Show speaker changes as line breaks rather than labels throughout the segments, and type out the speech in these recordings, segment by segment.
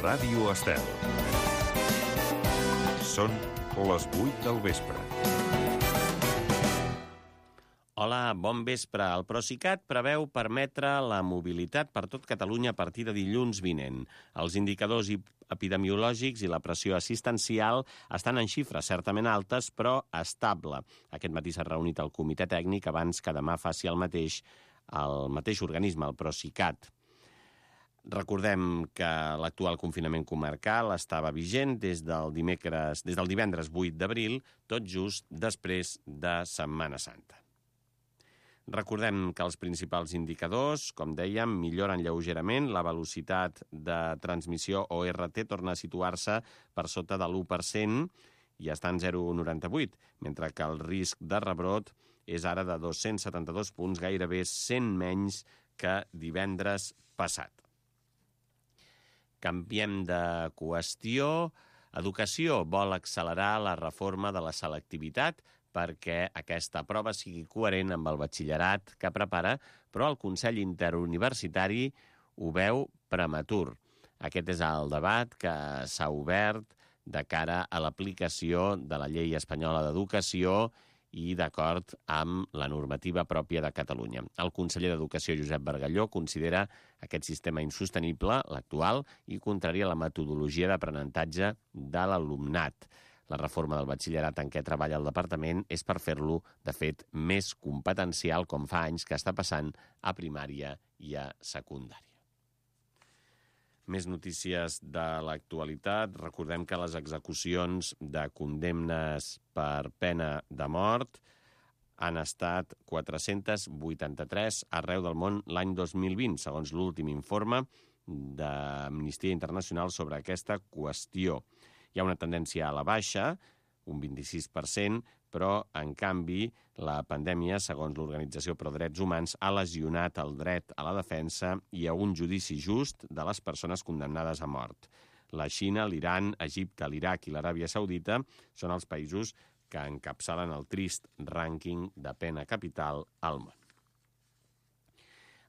Ràdio Estel. Són les 8 del vespre.
Hola, bon vespre. El Procicat preveu permetre la mobilitat per tot Catalunya a partir de dilluns vinent. Els indicadors epidemiològics i la pressió assistencial estan en xifres certament altes, però estable. Aquest matí s'ha reunit el comitè tècnic abans que demà faci el mateix organisme, el Procicat. Recordem que l'actual confinament comarcal estava vigent des del divendres 8 d'abril, tot just després de Setmana Santa. Recordem que els principals indicadors, com dèiem, milloren lleugerament. La velocitat de transmissió o RT torna a situar-se per sota de l'1% i està en 0,98, mentre que el risc de rebrot és ara de 272 punts, gairebé 100 menys que divendres passat. Canviem de qüestió. Educació vol accelerar la reforma de la selectivitat perquè aquesta prova sigui coherent amb el batxillerat que prepara, però el Consell Interuniversitari ho veu prematur. Aquest és el debat que s'ha obert de cara a l'aplicació de la Llei Espanyola d'Educació i d'acord amb la normativa pròpia de Catalunya. El conseller d'Educació, Josep Bargalló, considera aquest sistema insostenible, l'actual, i contrari a la metodologia d'aprenentatge de l'alumnat. La reforma del batxillerat en què treballa el departament és per fer-lo, de fet, més competencial, com fa anys que està passant a primària i a secundària. Més notícies de l'actualitat. Recordem que les execucions de condemnes per pena de mort han estat 483 arreu del món l'any 2020, segons l'últim informe d'Amnistia Internacional sobre aquesta qüestió. Hi ha una tendència a la baixa, un 26%, però, en canvi, la pandèmia, segons l'Organització Pro Drets Humans, ha lesionat el dret a la defensa i a un judici just de les persones condemnades a mort. La Xina, l'Iran, Egipte, l'Iraq i l'Aràbia Saudita són els països que encapçalen el trist rànquing de pena capital al món.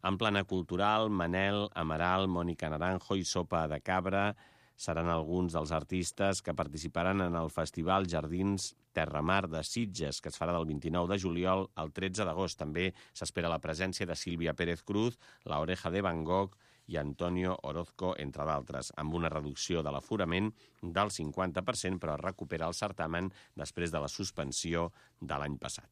En plana cultural, Manel, Amaral, Mònica Naranjo i Sopa de Cabra seran alguns dels artistes que participaran en el Festival Jardins Terramar de Sitges, que es farà del 29 de juliol al 13 d'agost. També s'espera la presència de Sílvia Pérez Cruz, La Oreja de Van Gogh i Antonio Orozco, entre d'altres, amb una reducció de l'aforament del 50%, però es recupera el certamen després de la suspensió de l'any passat.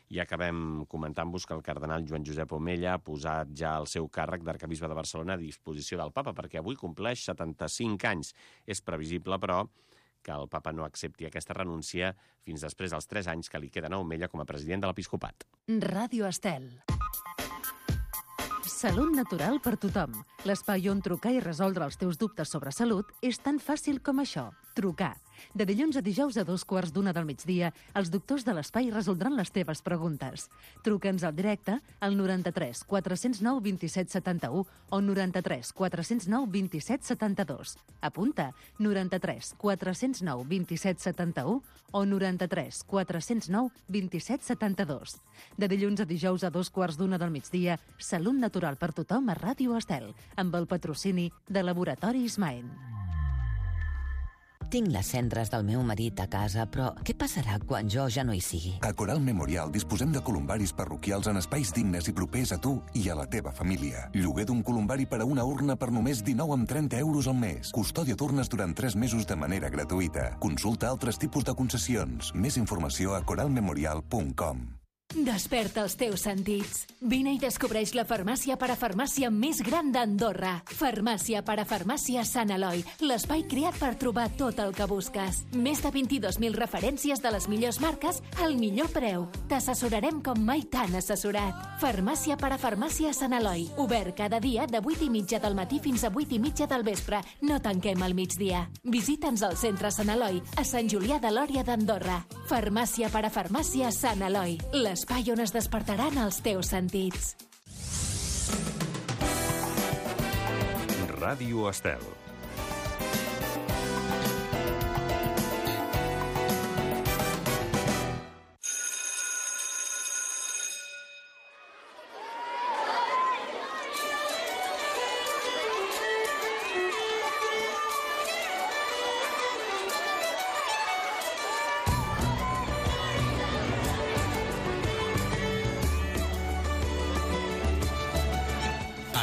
I acabem comentant-vos que el cardenal Joan Josep Omella ha posat ja el seu càrrec d'arquebisbe de Barcelona a disposició del papa, perquè avui compleix 75 anys. És previsible, però, que el papa no accepti aquesta renúncia fins després dels 3 anys que li queden a Omella com a president de l'Episcopat.
Ràdio Estel. Salut natural per tothom. L'espai on trucar i resoldre els teus dubtes sobre salut és tan fàcil com això. Trucar. De dilluns a dijous a 2:15 del migdia, els doctors de l'espai resoldran les teves preguntes. Truca'ns al directe al 93 409 27 71 o 93 409 27 72. Apunta, 93 409 27 71 o 93 409 27 72. De dilluns a dijous a 2:15 del migdia, Salut natural per tothom a Ràdio Estel, amb el patrocini de Laboratoris Maen.
Tinc les cendres del meu marit a casa, però què passarà quan jo ja no hi sigui?
A Coral Memorial disposem de columbaris parroquials en espais dignes i propers a tu i a la teva família. Lloguer d'un columbari per a una urna per només 19,30 € al mes. Custòdia d'urnes durant 3 mesos de manera gratuïta. Consulta altres tipus de concessions. Més informació a coralmemorial.com.
Desperta els teus sentits. Vine i descobreix la farmàcia parafarmàcia més gran d'Andorra. Farmàcia parafarmàcia Sant Eloi, l'espai creat per trobar tot el que busques. Més de 22.000 referències de les millors marques al millor preu. T'assessorarem com mai t'han assessorat. Farmàcia parafarmàcia Sant Eloi, obert cada dia de 8:30 del matí fins a 8:30 del vespre. No tanquem al migdia. Visita'ns al centre Sant Eloi, a Sant Julià de Lòria d'Andorra. Farmàcia parafarmàcia Sant Eloi, l'espai on es despertaran els teus sentits.
Ràdio Estel.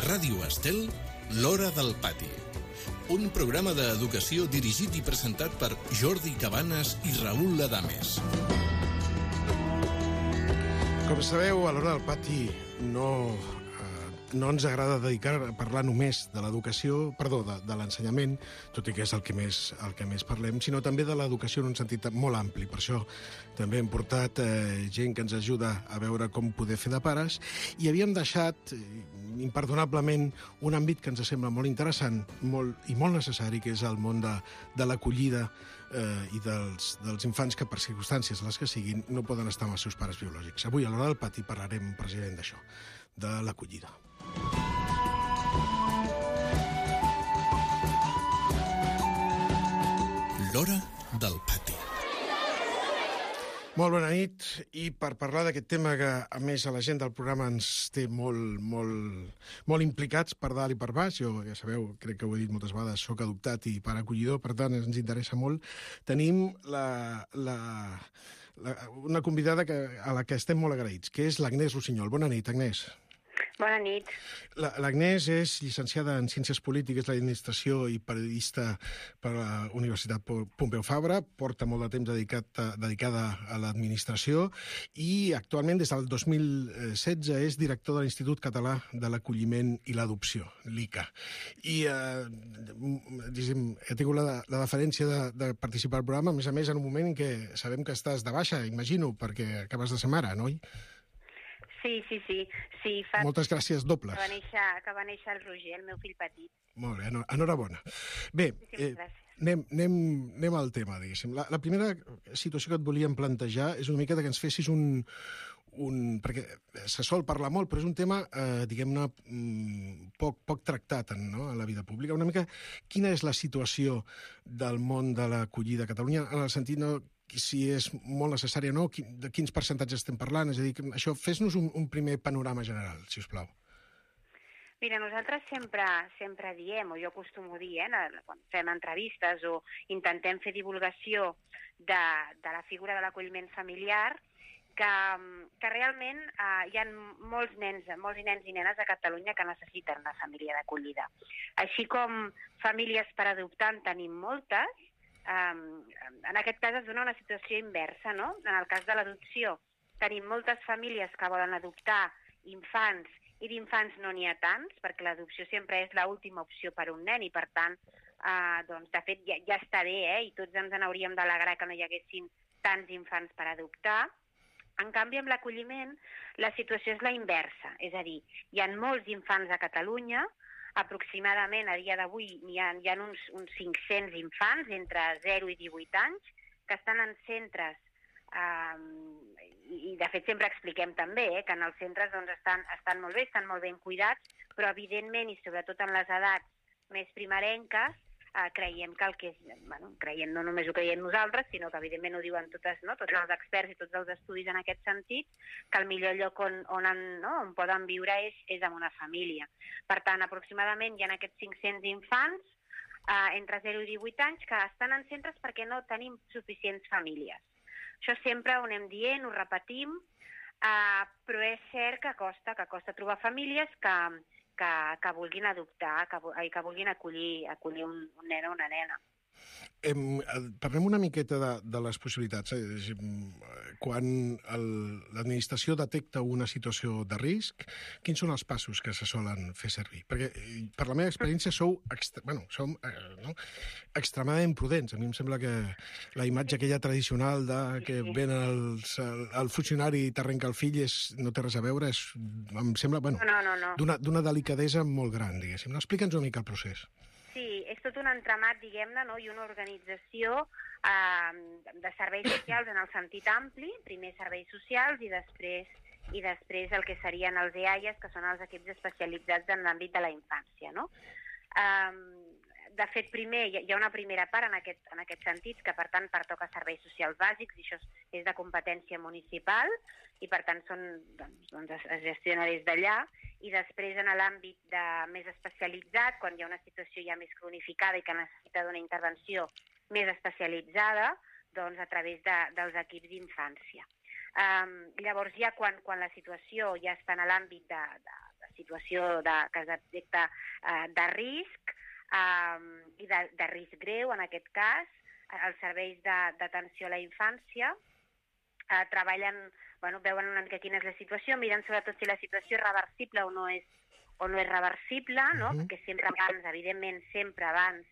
Ràdio Estel, L'Hora del Pati. Un programa d'educació dirigit i presentat per Jordi Cabanes i Raül Adames.
Com sabeu, a l'Hora del Pati no ens agrada dedicar a parlar només de l'educació, perdó, de l'ensenyament, tot i que és el que més parlem, sinó també de l'educació en un sentit molt ampli. Per això també hem portat gent que ens ajuda a veure com poder fer de pares, i havíem deixat, imperdonablement, un àmbit que ens sembla molt interessant i molt necessari, que és el món de l'acollida i dels infants que, per circumstàncies les que siguin, no poden estar amb els seus pares biològics. Avui, a l'Hora del Pati, parlarem precisament d'això, de l'acollida.
L'Hora del Pati.
Molt bona nit, i per parlar d'aquest tema que, a més, a la gent del programa ens té molt implicats per dalt i per baix, jo, ja sabeu, crec que ho he dit moltes vegades, soc adoptat i pare acollidor, per tant, ens interessa molt, tenim una convidada a la que estem molt agraïts, que és l'Agnès Rossinyol. Bona nit, Agnès.
Bona nit.
L'Agnès és llicenciada en Ciències Polítiques, l'Administració i periodista per la Universitat Pompeu Fabra, porta molt de temps dedicada a l'administració i actualment, des del 2016, és director de l'Institut Català de l'Acolliment i l'Adopció, l'ICA. I he tingut la deferència de participar al programa, a més en un moment en què sabem que estàs de baixa, imagino, perquè acabes de ser mare, no?
Sí.
Moltes gràcies dobles.
Que va néixer el Roger, el meu fill petit.
Molt bé, enhorabona. Bé, anem al tema, diguéssim. La primera situació que et volíem plantejar és una mica que ens fessis perquè se sol parlar molt, però és un tema, diguem-ne, poc tractat en la vida pública. Una mica, quina és la situació del món de l'acollida a Catalunya, en el sentit si és molt necessari o no, de quins percentatges estem parlant? És a dir, això, fes-nos un primer panorama general, si us plau.
Mira, nosaltres sempre diem, o jo acostumo a dir, quan fem entrevistes o intentem fer divulgació de la figura de l'acolliment familiar, que realment hi ha molts nens i nenes a Catalunya que necessiten una família d'acollida. Així com famílies per adoptar en tenim moltes, en aquest cas es dona una situació inversa, no? En el cas de l'adopció tenim moltes famílies que volen adoptar infants i d'infants no n'hi ha tants, perquè l'adopció sempre és l'última opció per a un nen i, per tant, de fet, ja està bé, i tots ens n'hauríem d'alegrar que no hi haguessin tants infants per adoptar. En canvi, amb l'acolliment, la situació és la inversa, és a dir, hi ha molts infants a Catalunya, aproximadament a dia d'avui hi ha uns 500 infants entre 0 i 18 anys que estan en centres i de fet sempre expliquem també que en els centres estan molt bé, estan molt ben cuidats, però evidentment i sobretot en les edats més primerenques creiem que el que és, no només ho creiem nosaltres, sinó que evidentment ho diuen tots els experts i tots els estudis en aquest sentit, que el millor lloc on poden viure és en una família. Per tant, aproximadament hi ha aquests 500 infants entre 0 i 18 anys que estan en centres perquè no tenim suficients famílies. Això sempre ho anem dient, ho repetim, però és cert que costa trobar famílies que vulguin adoptar, que vulguin acollir un nen o una nena.
Parlem una miqueta de les possibilitats. Quan l'administració detecta una situació de risc, quins són els passos que se solen fer servir? Perquè, per la meva experiència, som extremadament prudents. A mi em sembla que la imatge aquella tradicional que ven el funcionari i t'arrenca el fill no té res a veure, em sembla d'una delicadesa molt gran, diguéssim. Explica'ns una mica el procés.
Sí, és tot un entramat, diguem-ne, i una organització de serveis socials en el sentit ampli, primer serveis socials i després el que serien els EAIAs, que són els equips especialitzats en l'àmbit de la infància, no? De fet, primer hi ha una primera part en aquest sentit, que per tant pertoca a serveis socials bàsics, i això és de competència municipal, i per tant es gestiona des d'allà, i després en l'àmbit més especialitzat, quan hi ha una situació ja més cronificada i que necessita d'una intervenció més especialitzada, doncs a través dels equips d'infància. Llavors ja quan la situació ja està en l'àmbit de situació que es detecta de risc i de risc greu, en aquest cas, els serveis d'atenció a la infància treballen, veuen una mica quina és la situació, miren sobretot si la situació és reversible o no és reversible, no? Perquè sempre abans, evidentment, sempre abans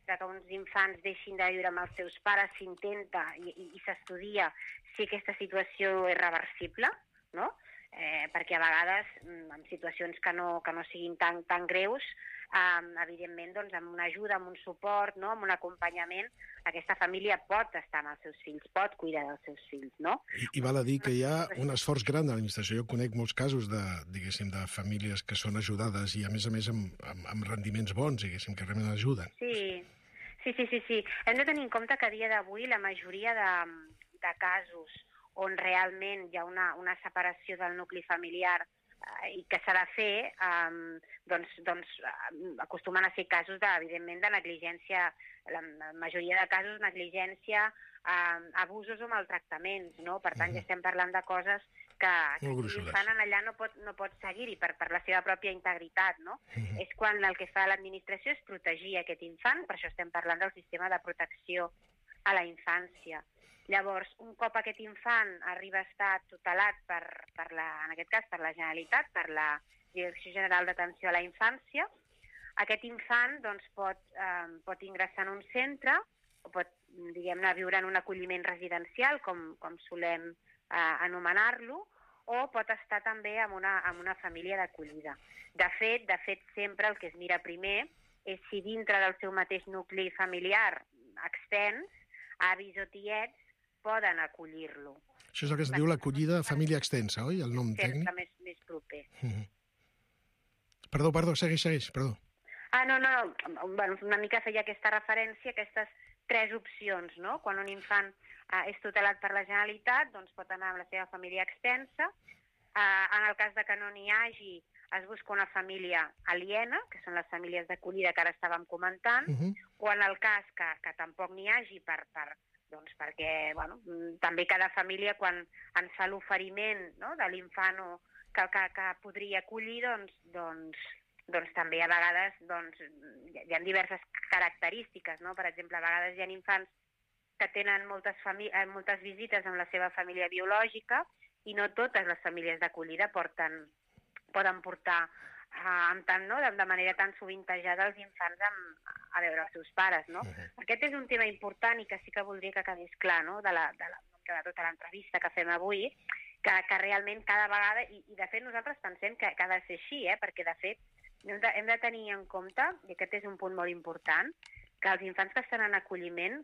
que uns infants deixin de viure amb els seus pares s'intenta i s'estudia si aquesta situació és reversible, no? Perquè a vegades, en situacions que no siguin tan greus, evidentment, doncs, amb una ajuda, amb un suport, no? Amb un acompanyament, aquesta família pot estar amb els seus fills, pot cuidar dels seus fills, no?
I val a dir que hi ha un esforç gran de l'administració. Jo conec molts casos de famílies que són ajudades i, a més amb rendiments bons, diguéssim, que realment ajuden.
Sí. Hem de tenir en compte que a dia d'avui la majoria de casos on realment hi ha una separació del nucli familiar i que s'ha de fer, doncs acostumen a ser casos, evidentment, de negligència, la majoria de casos, negligència, abusos o maltractaments, no? Per tant, ja estem parlant de coses que l'infant allà no pot seguir-hi per la seva pròpia integritat, no? És quan el que fa l'administració és protegir aquest infant, per això estem parlant del sistema de protecció a la infància. Llavors, un cop aquest infant arriba a estar tutelat en aquest cas per la Generalitat, per la Direcció General d'Atenció a la Infància, aquest infant doncs, pot ingressar en un centre o pot, diguem-ne, viure en un acolliment residencial, com solem anomenar-lo, o pot estar també en una família d'acollida. De fet, sempre el que es mira primer és si dintre del seu mateix nucli familiar extens, avis o tiets, poden acollir-lo.
Això és el que es diu l'acollida família extensa, oi? El nom tècnic?
Sempre més proper.
Perdó, segueix, perdó.
No, una mica feia aquesta referència, aquestes 3 opcions, no? Quan un infant és tutelat per la Generalitat, doncs pot anar amb la seva família extensa. En el cas de que no n'hi hagi, es busca una família aliena, que són les famílies d'acollida que ara estàvem comentant, o en el cas que tampoc n'hi hagi perquè també cada família, quan ens fa l'oferiment de l'infant que podria acollir, doncs també a vegades hi ha diverses característiques, no? Per exemple, a vegades hi ha infants que tenen moltes visites amb la seva família biològica i no totes les famílies d'acollida poden portar de manera tan sovintejada els infants a veure els seus pares, no? Aquest és un tema important i que sí que voldria que quedés clar, no?, de tota l'entrevista que fem avui, que realment cada vegada, i de fet nosaltres pensem que ha de ser així, perquè de fet hem de tenir en compte, i aquest és un punt molt important, que els infants que estan en acolliment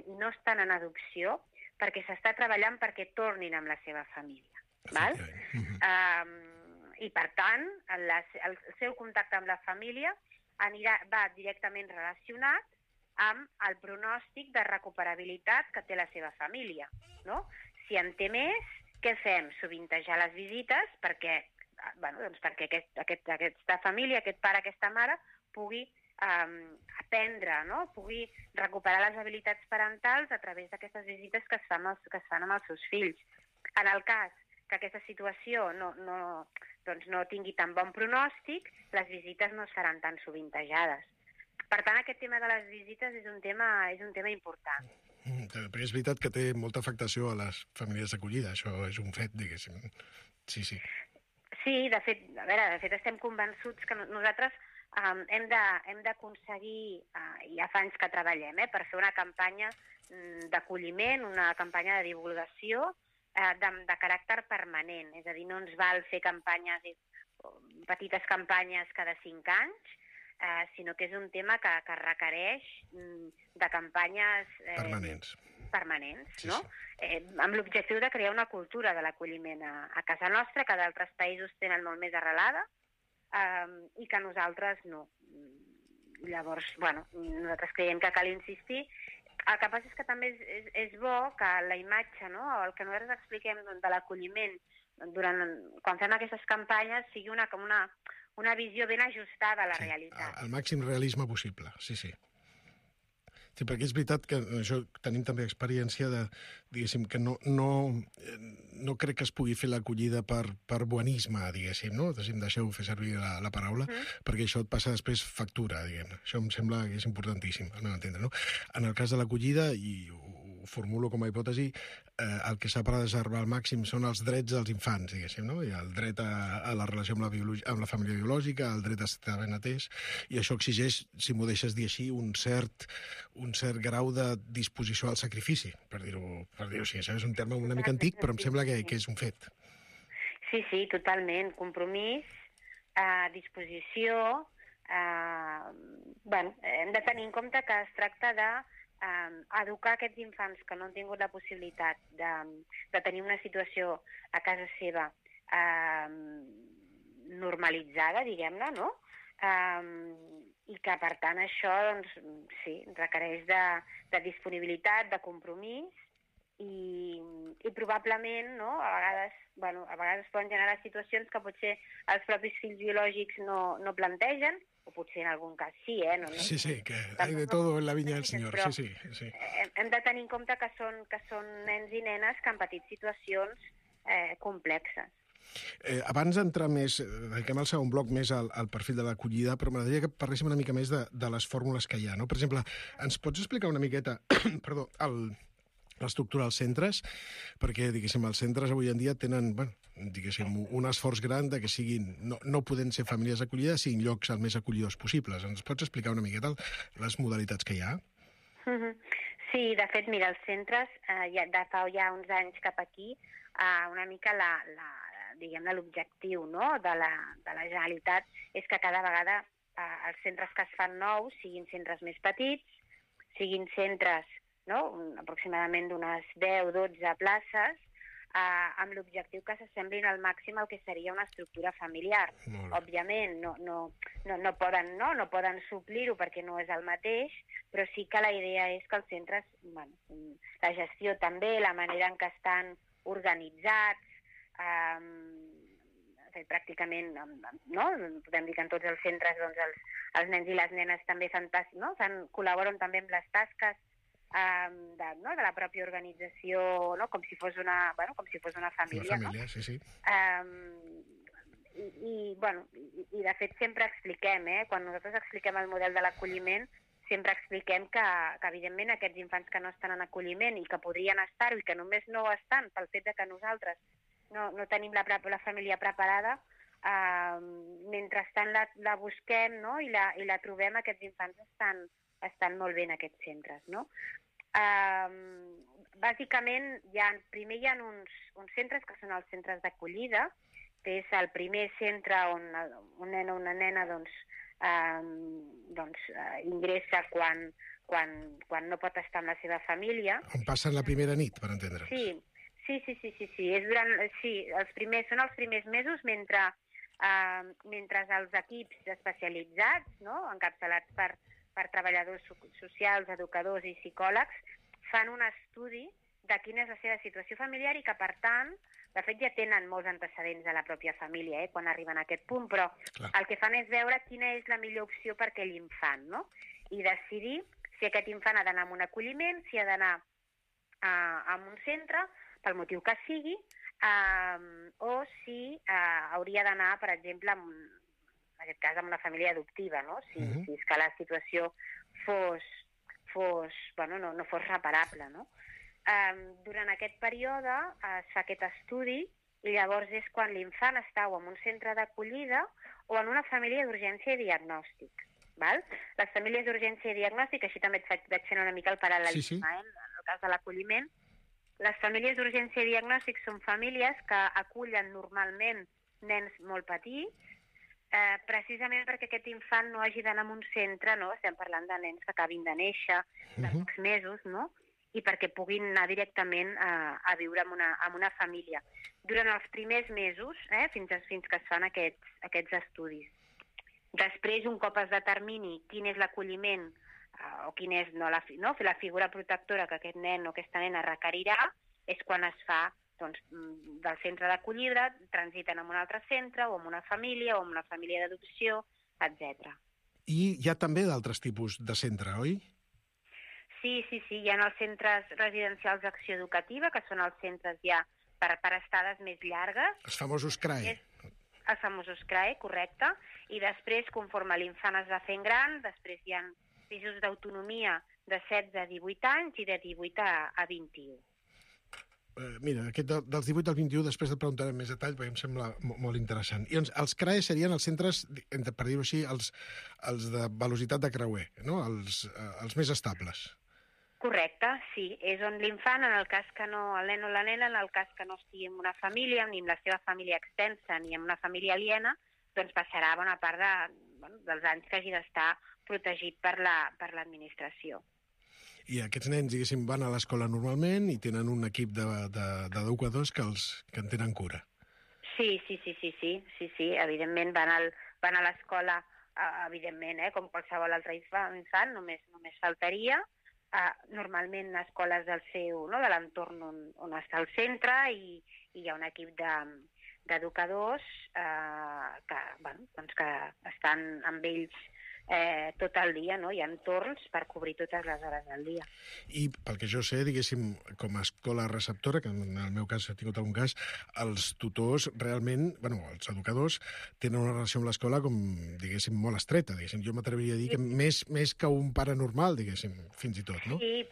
i no estan en adopció perquè s'està treballant perquè tornin amb la seva família. Val? I, per tant, el seu contacte amb la família va directament relacionat amb el pronòstic de recuperabilitat que té la seva família, no? Si en té més, què fem? Sovintejar les visites perquè aquesta família, aquest pare, aquesta mare, pugui aprendre, no? Pugui recuperar les habilitats parentals a través d'aquestes visites que es fan amb els seus fills. En el cas que aquesta situació no tingui tan bon pronòstic, les visites no seran tan sovintejades. Per tant, aquest tema de les visites és un tema important.
Perquè és veritat que té molta afectació a les famílies d'acollida, això és un fet, diguéssim. Sí.
Sí, de fet estem convençuts que nosaltres hem d'aconseguir, ja fa anys que treballem, per fer una campanya d'acolliment, una campanya de divulgació de caràcter permanent. És a dir, no ens val fer petites campanyes cada 5 anys, sinó que és un tema que requereix de campanyes permanents, no? Amb l'objectiu de crear una cultura de l'acolliment a casa nostra, que d'altres països tenen molt més arrelada i que nosaltres no. Llavors, nosaltres creiem que cal insistir. El que passa és que també és bo que la imatge, no?, o el que nosaltres expliquem de l'acolliment quan fem aquestes campanyes sigui una visió ben ajustada a la realitat.
El màxim realisme possible, sí. Sí, perquè és veritat que això tenim també experiència de, diguéssim, que no crec que es pugui fer l'acollida per buenisme, diguéssim, no? Deixeu fer servir la paraula, perquè això et passa després factura, diguem. Això em sembla que és importantíssim, al meu entendre, no? En el cas de l'acollida, i ho formulo com a hipòtesi, el que s'ha de preservar al màxim són els drets dels infants, diguéssim, no? I el dret a la relació amb la família biològica, el dret a estar ben atès, i això exigeix, si m'ho deixes dir així, un cert grau de disposició al sacrifici, per dir-ho així. És un terme una mica antic, però em sembla que és un fet.
Sí, totalment. Compromís, disposició... hem de tenir en compte que es tracta de educar aquests infants que no han tingut la possibilitat de tenir una situació a casa seva normalitzada, diguem-ne, no? I que, per tant, això, doncs, sí, requereix de disponibilitat, de compromís, i probablement, no?, a vegades poden generar situacions que potser els propis fills biològics no plantegen, o potser en algun cas sí, no?
Sí, que hay de todo en la viña del Senyor, sí.
Hem de tenir en compte que són nens i nenes que han patit situacions complexes.
Abans d'entrar més, dediquem el segon bloc més al perfil de l'acollida, però m'agradaria que parléssim una mica més de les fórmules que hi ha, no? Per exemple, ens pots explicar una miqueta, perdó, l'estructura dels centres? Perquè, diguéssim, els centres avui en dia tenen, diguéssim, un esforç gran de que siguin, no podent ser famílies acollides, siguin llocs el més acollidors possibles. Ens pots explicar una miqueta les modalitats que hi ha?
Sí, de fet, mira, els centres, de fa ja uns anys cap aquí, una mica l'objectiu, no?, de la Generalitat és que cada vegada els centres que es fan nous siguin centres més petits, siguin centres, no?, aproximadament d'unes 10-12 places, amb l'objectiu que s'assemblin al màxim al que seria una estructura familiar. Òbviament, no poden suplir-ho perquè no és el mateix, però sí que la idea és que els centres, la gestió també, la manera en què estan organitzats, pràcticament, no? Podem dir que en tots els centres els nens i les nenes també col·laboren també amb les tasques de la pròpia organització, no? Com si fos una família.
Una família, sí.
I de fet sempre expliquem, quan nosaltres expliquem el model de l'acolliment, sempre expliquem que evidentment aquests infants que no estan en acolliment i que podrien estar-ho i que només no ho estan pel fet que nosaltres no tenim la família preparada, mentrestant la busquem, no? I la trobem, aquests infants estan molt bé en aquests centres, no? Bàsicament, primer hi ha uns centres que són els centres d'acollida, que és el primer centre on un nen o una nena ingressa quan no pot estar amb la seva família.
On passen la primera nit, per entendre'ns.
Sí. Són els primers mesos mentre els equips especialitzats, no?, encapçalats per treballadors socials, educadors i psicòlegs, fan un estudi de quina és la seva situació familiar i que, per tant, de fet ja tenen molts antecedents de la pròpia família quan arriben a aquest punt, però el que fan és veure quina és la millor opció per aquell infant, no? I decidir si aquest infant ha d'anar a un acolliment, si ha d'anar a un centre, pel motiu que sigui, o si hauria d'anar, per exemple, en aquest cas amb una família adoptiva, no? Si és que la situació no fos reparable, no? Durant aquest període es fa aquest estudi i llavors és quan l'infant està o en un centre d'acollida o en una família d'urgència i diagnòstic. Les famílies d'urgència i diagnòstic, així també et vaig fent una mica el paral·lelisme, en el cas de l'acolliment. Les famílies d'urgència i diagnòstic són famílies que acullen normalment nens molt petits, precisament perquè aquest infant no hagi d'anar a un centre, no? Estem parlant de nens que acabin de néixer, de pocs mesos, no? I perquè puguin anar directament a viure en una família. Durant els primers mesos, fins que es fan aquests estudis. Després, un cop es determini quin és l'acolliment o quina és la figura protectora que aquest nen o aquesta nena requerirà, és quan es fa del centre d'acollida, transiten en un altre centre, o en una família, o en una família d'adopció, etc.
I hi ha també d'altres tipus de centre, oi?
Sí, hi ha els centres residencials d'acció educativa, que són els centres ja per estades més llargues.
Els famosos CRAE.
Els famosos CRAE, correcte. I després, conforme l'infant es va fent gran, després hi ha pisos d'autonomia de 16 a 18 anys i de 18 a 21.
Mira, aquest dels 18 al 21 després et preguntaré més detall perquè em sembla molt interessant. I doncs, els CRAE serien els centres, per dir-ho així, els de velocitat de creuer, no? Els més estables.
Correcte, sí. És on l'infant, en el cas que no, el nen o la nena, en el cas que no estigui en una família, ni amb la seva família extensa, ni en una família aliena, doncs passarà bona part dels anys que hagi d'estar protegit per l'administració.
I aquests nens, diguéssim, van a l'escola normalment i tenen un equip d'educadors que en tenen cura.
Sí. Evidentment van a l'escola, evidentment, com qualsevol altre infant, només faltaria. Normalment escoles de l'entorn on està el centre i hi ha un equip d'educadors que estan amb ells tot el dia, no? Hi ha torns per cobrir totes les hores del dia.
I pel que jo sé, diguéssim, com a escola receptora, que en el meu cas he tingut algun cas, els tutors realment, els educadors, tenen una relació amb l'escola com, diguéssim, molt estreta, diguéssim. Jo m'atreviria a dir que més que un pare normal, diguéssim, fins i tot, no?
Sí,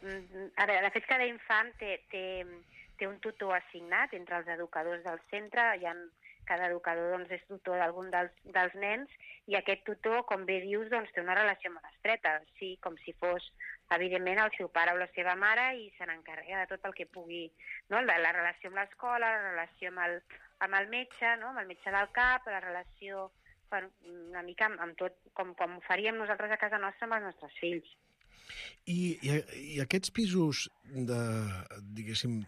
a veure, de fet, cada infant té un tutor assignat entre els educadors del centre, cada educador és tutor d'algun dels nens i aquest tutor, com bé dius, té una relació molt estreta, sí, com si fos, evidentment, el seu pare o la seva mare i se n'encarrega de tot el que pugui, no? La relació amb l'escola, la relació amb el metge, no? Amb el metge del CAP, la relació una mica amb tot, com ho faríem nosaltres a casa nostra amb els nostres fills.
I aquests pisos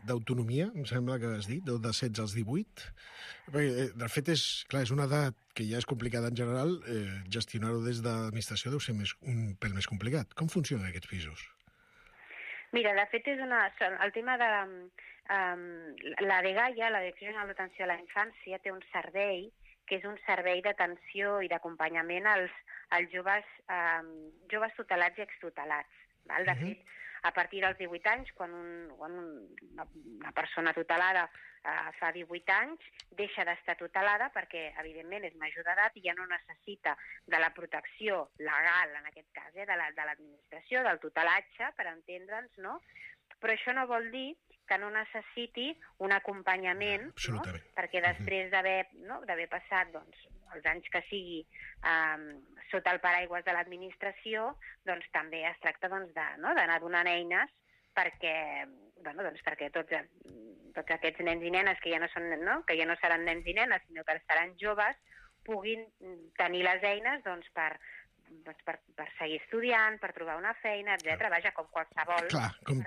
d'autonomia, em sembla que has dit, de 16 als 18, de fet és una edat que ja és complicada en general, gestionar-ho des de l'administració deu ser un pèl més complicat. Com funcionen aquests pisos?
Mira, de fet és el tema de la DGAIA, la Direcció General d'Atenció a la Infància, té un servei que és un servei d'atenció i d'acompanyament als joves tutelats i extutelats. De fet, a partir dels 18 anys, quan una persona tutelada fa 18 anys, deixa d'estar tutelada perquè, evidentment, és major d'edat i ja no necessita de la protecció legal, en aquest cas, de l'administració, del tutelatge, per entendre'ns, no? Però això no vol dir que no necessiti un acompanyament, no? Perquè després d'haver passat els anys que sigui sota el paraigües de l'administració, doncs també es tracta d'anar donant eines perquè tots aquests nens i nenes que ja no seran nens i nenes, sinó que seran joves, puguin tenir les eines per seguir estudiant, per trobar una feina, etc. Vaja, com qualsevol...
Clar, com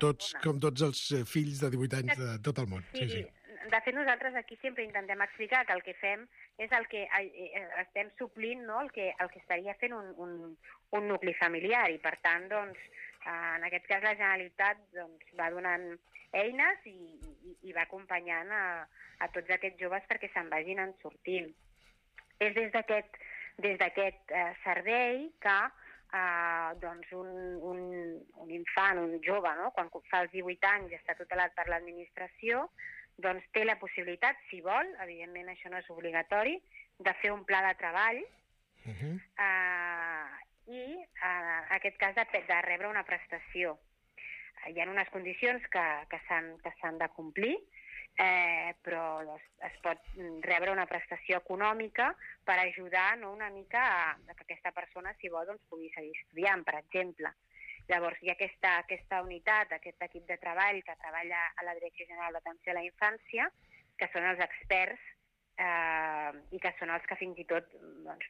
tots els fills de 18 anys de tot el món.
Sí. De fet, nosaltres aquí sempre intentem explicar que el que fem és el que estem suplint, no? el que estaria fent un nucli familiar i, per tant, en aquest cas la Generalitat va donant eines i va acompanyant a tots aquests joves perquè se'n vagin en sortint. És des d'aquest servei que un infant, un jove, no? Quan fa els 18 anys i està tutelat per l'administració, té la possibilitat, si vol, evidentment això no és obligatori, de fer un pla de treball i, en aquest cas, de rebre una prestació. Hi ha unes condicions que s'han de complir, però es pot rebre una prestació econòmica per ajudar una mica a que aquesta persona, si vol, pugui seguir estudiant, per exemple. Llavors, hi ha aquesta unitat, aquest equip de treball que treballa a la Direcció General d'Atenció a la Infància, que són els experts i que són els que fins i tot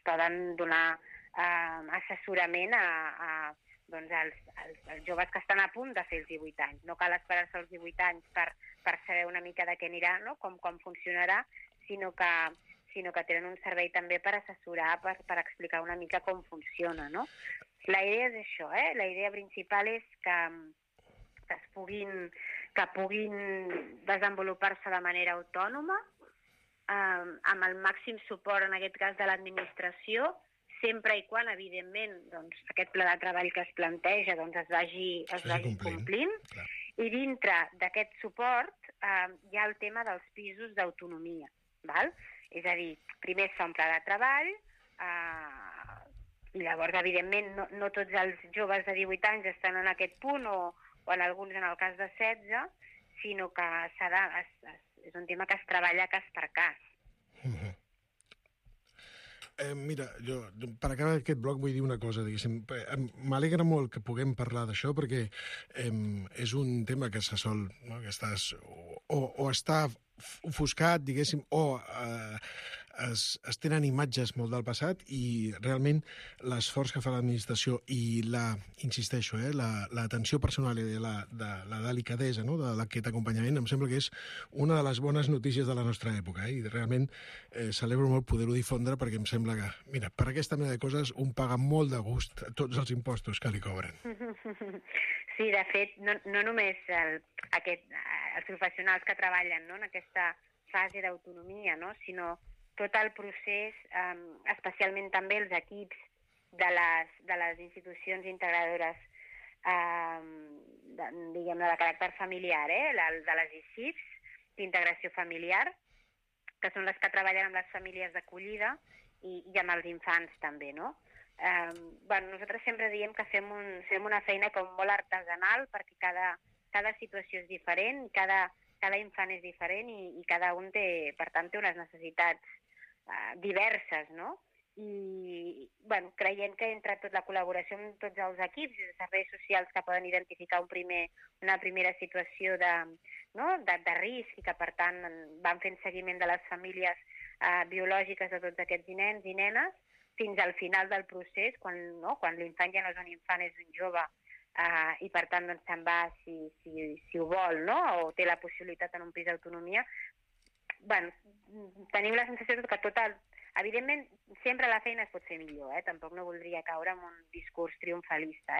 poden donar assessorament als joves que estan a punt de fer els 18 anys. No cal esperar-se els 18 anys per saber una mica de què anirà, no? Com funcionarà, sinó que tenen un servei també per assessorar, per explicar una mica com funciona, no? La idea és això, la idea principal és que puguin desenvolupar-se de manera autònoma, amb el màxim suport, en aquest cas, de l'administració, sempre i quan, evidentment, doncs, aquest pla de treball que es planteja doncs, es vagi complint. I dintre d'aquest suport hi ha el tema dels pisos d'autonomia. És a dir, primer es fa un pla de treball, i llavors, evidentment, no tots els joves de 18 anys estan en aquest punt, o en alguns en el cas de 16, sinó que és un tema que es treballa cas per cas.
Mira, jo per acabar aquest bloc vull dir una cosa, diguéssim. M'alegra molt que puguem parlar d'això perquè és un tema que se sol, no? Que estàs o està ofuscat, diguéssim, o es tenen imatges molt del passat i realment l'esforç que fa l'administració i insisteixo, l'atenció personal i la delicadesa, no? d'aquest acompanyament, em sembla que és una de les bones notícies de la nostra època, i realment celebro molt poder-ho difondre perquè em sembla que, mira, per aquesta mena de coses un paga molt de gust tots els impostos que li cobren.
Sí, de fet, no només els professionals que treballen, no? En aquesta fase d'autonomia, no? Sinó tot el procés, especialment també els equips de les institucions integradores diguem-ne de caràcter familiar, de les ICIFs, d'integració familiar, que són les que treballen amb les famílies d'acollida i amb els infants també, no? Nosaltres sempre diem que fem una feina com molt artesanal perquè cada situació és diferent, cada infant és diferent i cada un té, per tant, té unes necessitats diverses, no? I creient que entre tot la col·laboració amb tots els equips i els serveis socials que poden identificar una primera situació de risc i que per tant van fent seguiment de les famílies biològiques de tots aquests nens i nenes fins al final del procés, quan l'infant ja no és un infant, és un jove i per tant doncs, se'n va si ho vol, no? O té la possibilitat en un pis d'autonomia. Tenim la sensació que evidentment, sempre la feina es pot fer millor, tampoc no voldria caure en un discurs triomfalista,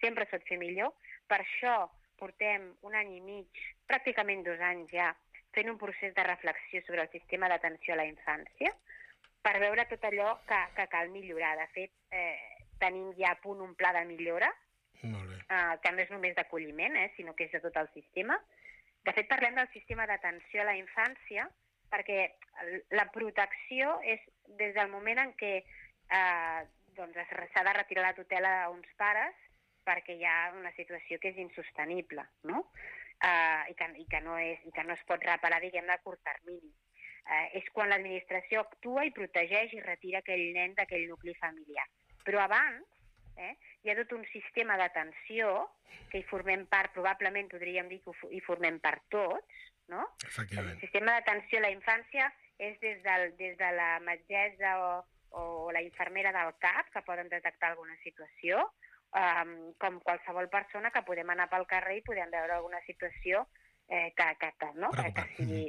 sempre es pot fer millor. Per això portem un any i mig, pràcticament 2 anys ja, fent un procés de reflexió sobre el sistema d'atenció a la infància, per veure tot allò que cal millorar. De fet, tenim ja a punt un pla de millora, que no és només d'acolliment, sinó que és de tot el sistema. De fet, parlem del sistema d'atenció a la infància perquè la protecció és des del moment en què s'ha de retirar la tutela a uns pares perquè hi ha una situació que és insostenible, no? I que no es pot reparar, diguem-ne, a curt termini. És quan l'administració actua i protegeix i retira aquell nen d'aquell nucli familiar. Però abans hi ha tot un sistema d'atenció que hi formem part, probablement podríem dir que hi formem part tots, no? El sistema d'atenció a la infància és des de la metgessa o la infermera del CAP que poden detectar alguna situació, com qualsevol persona que podem anar pel carrer i podem veure alguna situació que sigui,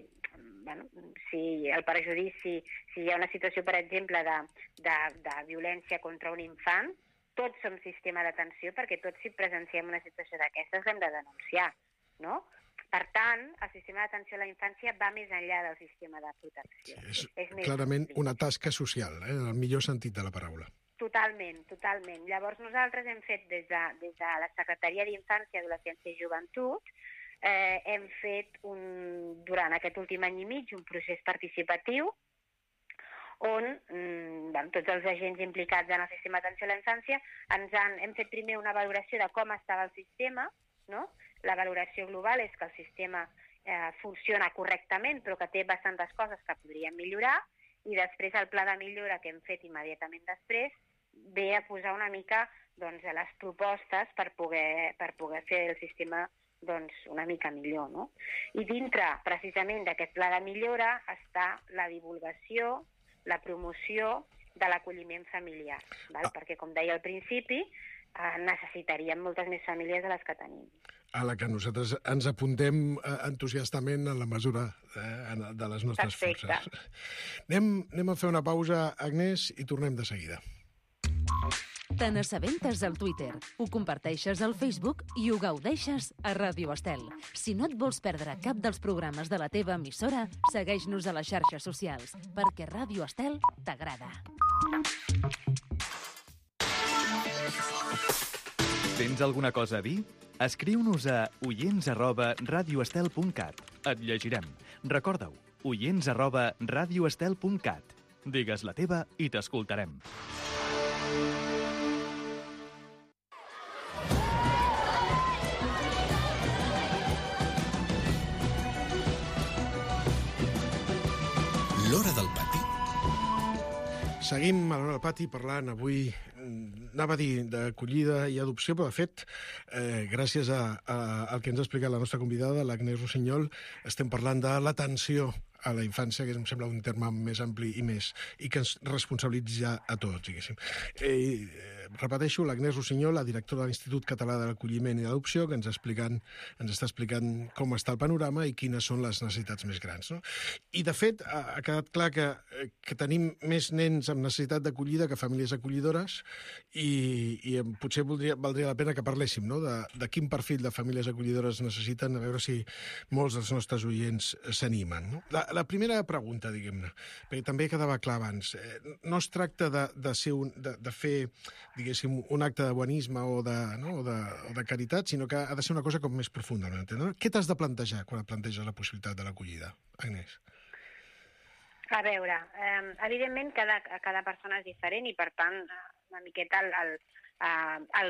si el perjudici, si hi ha una situació, per exemple, de violència contra un infant, tots som sistema d'atenció perquè tots si presenciem una situació d'aquestes l'hem de denunciar, no? Per tant, el sistema d'atenció a la infància va més enllà del sistema de protecció.
És clarament una tasca social, en el millor sentit de la paraula.
Totalment. Llavors nosaltres hem fet des de la Secretaria d'Infància, Adolescència i Joventut, hem fet durant aquest últim any i mig un procés participatiu on tots els agents implicats en el sistema d'atenció a la infància hem fet primer una valoració de com estava el sistema, no? La valoració global és que el sistema funciona correctament, però que té bastantes coses que podríem millorar, i després el pla de millora que hem fet immediatament després ve a posar una mica les propostes per poder fer el sistema una mica millor, no? I dintre, precisament, d'aquest pla de millora està la divulgació, la promoció de l'acolliment familiar, perquè, com deia al principi, necessitaríem moltes més famílies de les que tenim.
A la que nosaltres ens apuntem entusiastament en la mesura de les nostres forces. Anem a fer una pausa, Agnès, i tornem de seguida.
Te n'assabentes al Twitter, ho comparteixes al Facebook i ho gaudeixes a Ràdio Estel. Si no et vols perdre cap dels programes de la teva emissora, segueix-nos a les xarxes socials, perquè Ràdio Estel t'agrada.
Tens alguna cosa a dir? Escriu-nos a oients@radioestel.cat. Et llegirem. Recorda-ho, oients@radioestel.cat. Digues la teva i t'escoltarem.
L'Hora del Pati.
Seguim a l'Hora del Pati parlant avui, anava a dir, d'acollida i adopció, però de fet, gràcies al que ens ha explicat la nostra convidada, l'Agnès Rossinyol, estem parlant de l'atenció a la infància, que em sembla un terme més ampli i que ens responsabilitza a tots, diguéssim. Repeteixo, l'Agnès Rossinyol, la directora de l'Institut Català de l'Acolliment i l'Adopció, que ens està explicant com està el panorama i quines són les necessitats més grans. No? I, de fet, ha quedat clar que tenim més nens amb necessitat d'acollida que famílies acollidores i potser valdria la pena que parléssim, no? de quin perfil de famílies acollidores necessiten, a veure si molts dels nostres oients s'animen. No? La primera pregunta, diguem-ne, perquè també quedava clar abans, no es tracta de fer, diguéssim, un acte de bonisme o de caritat, sinó que ha de ser una cosa com més profunda. No? Què t'has de plantejar quan et planteges la possibilitat de l'acollida, Agnès?
A veure, evidentment cada persona és diferent i, per tant, una miqueta el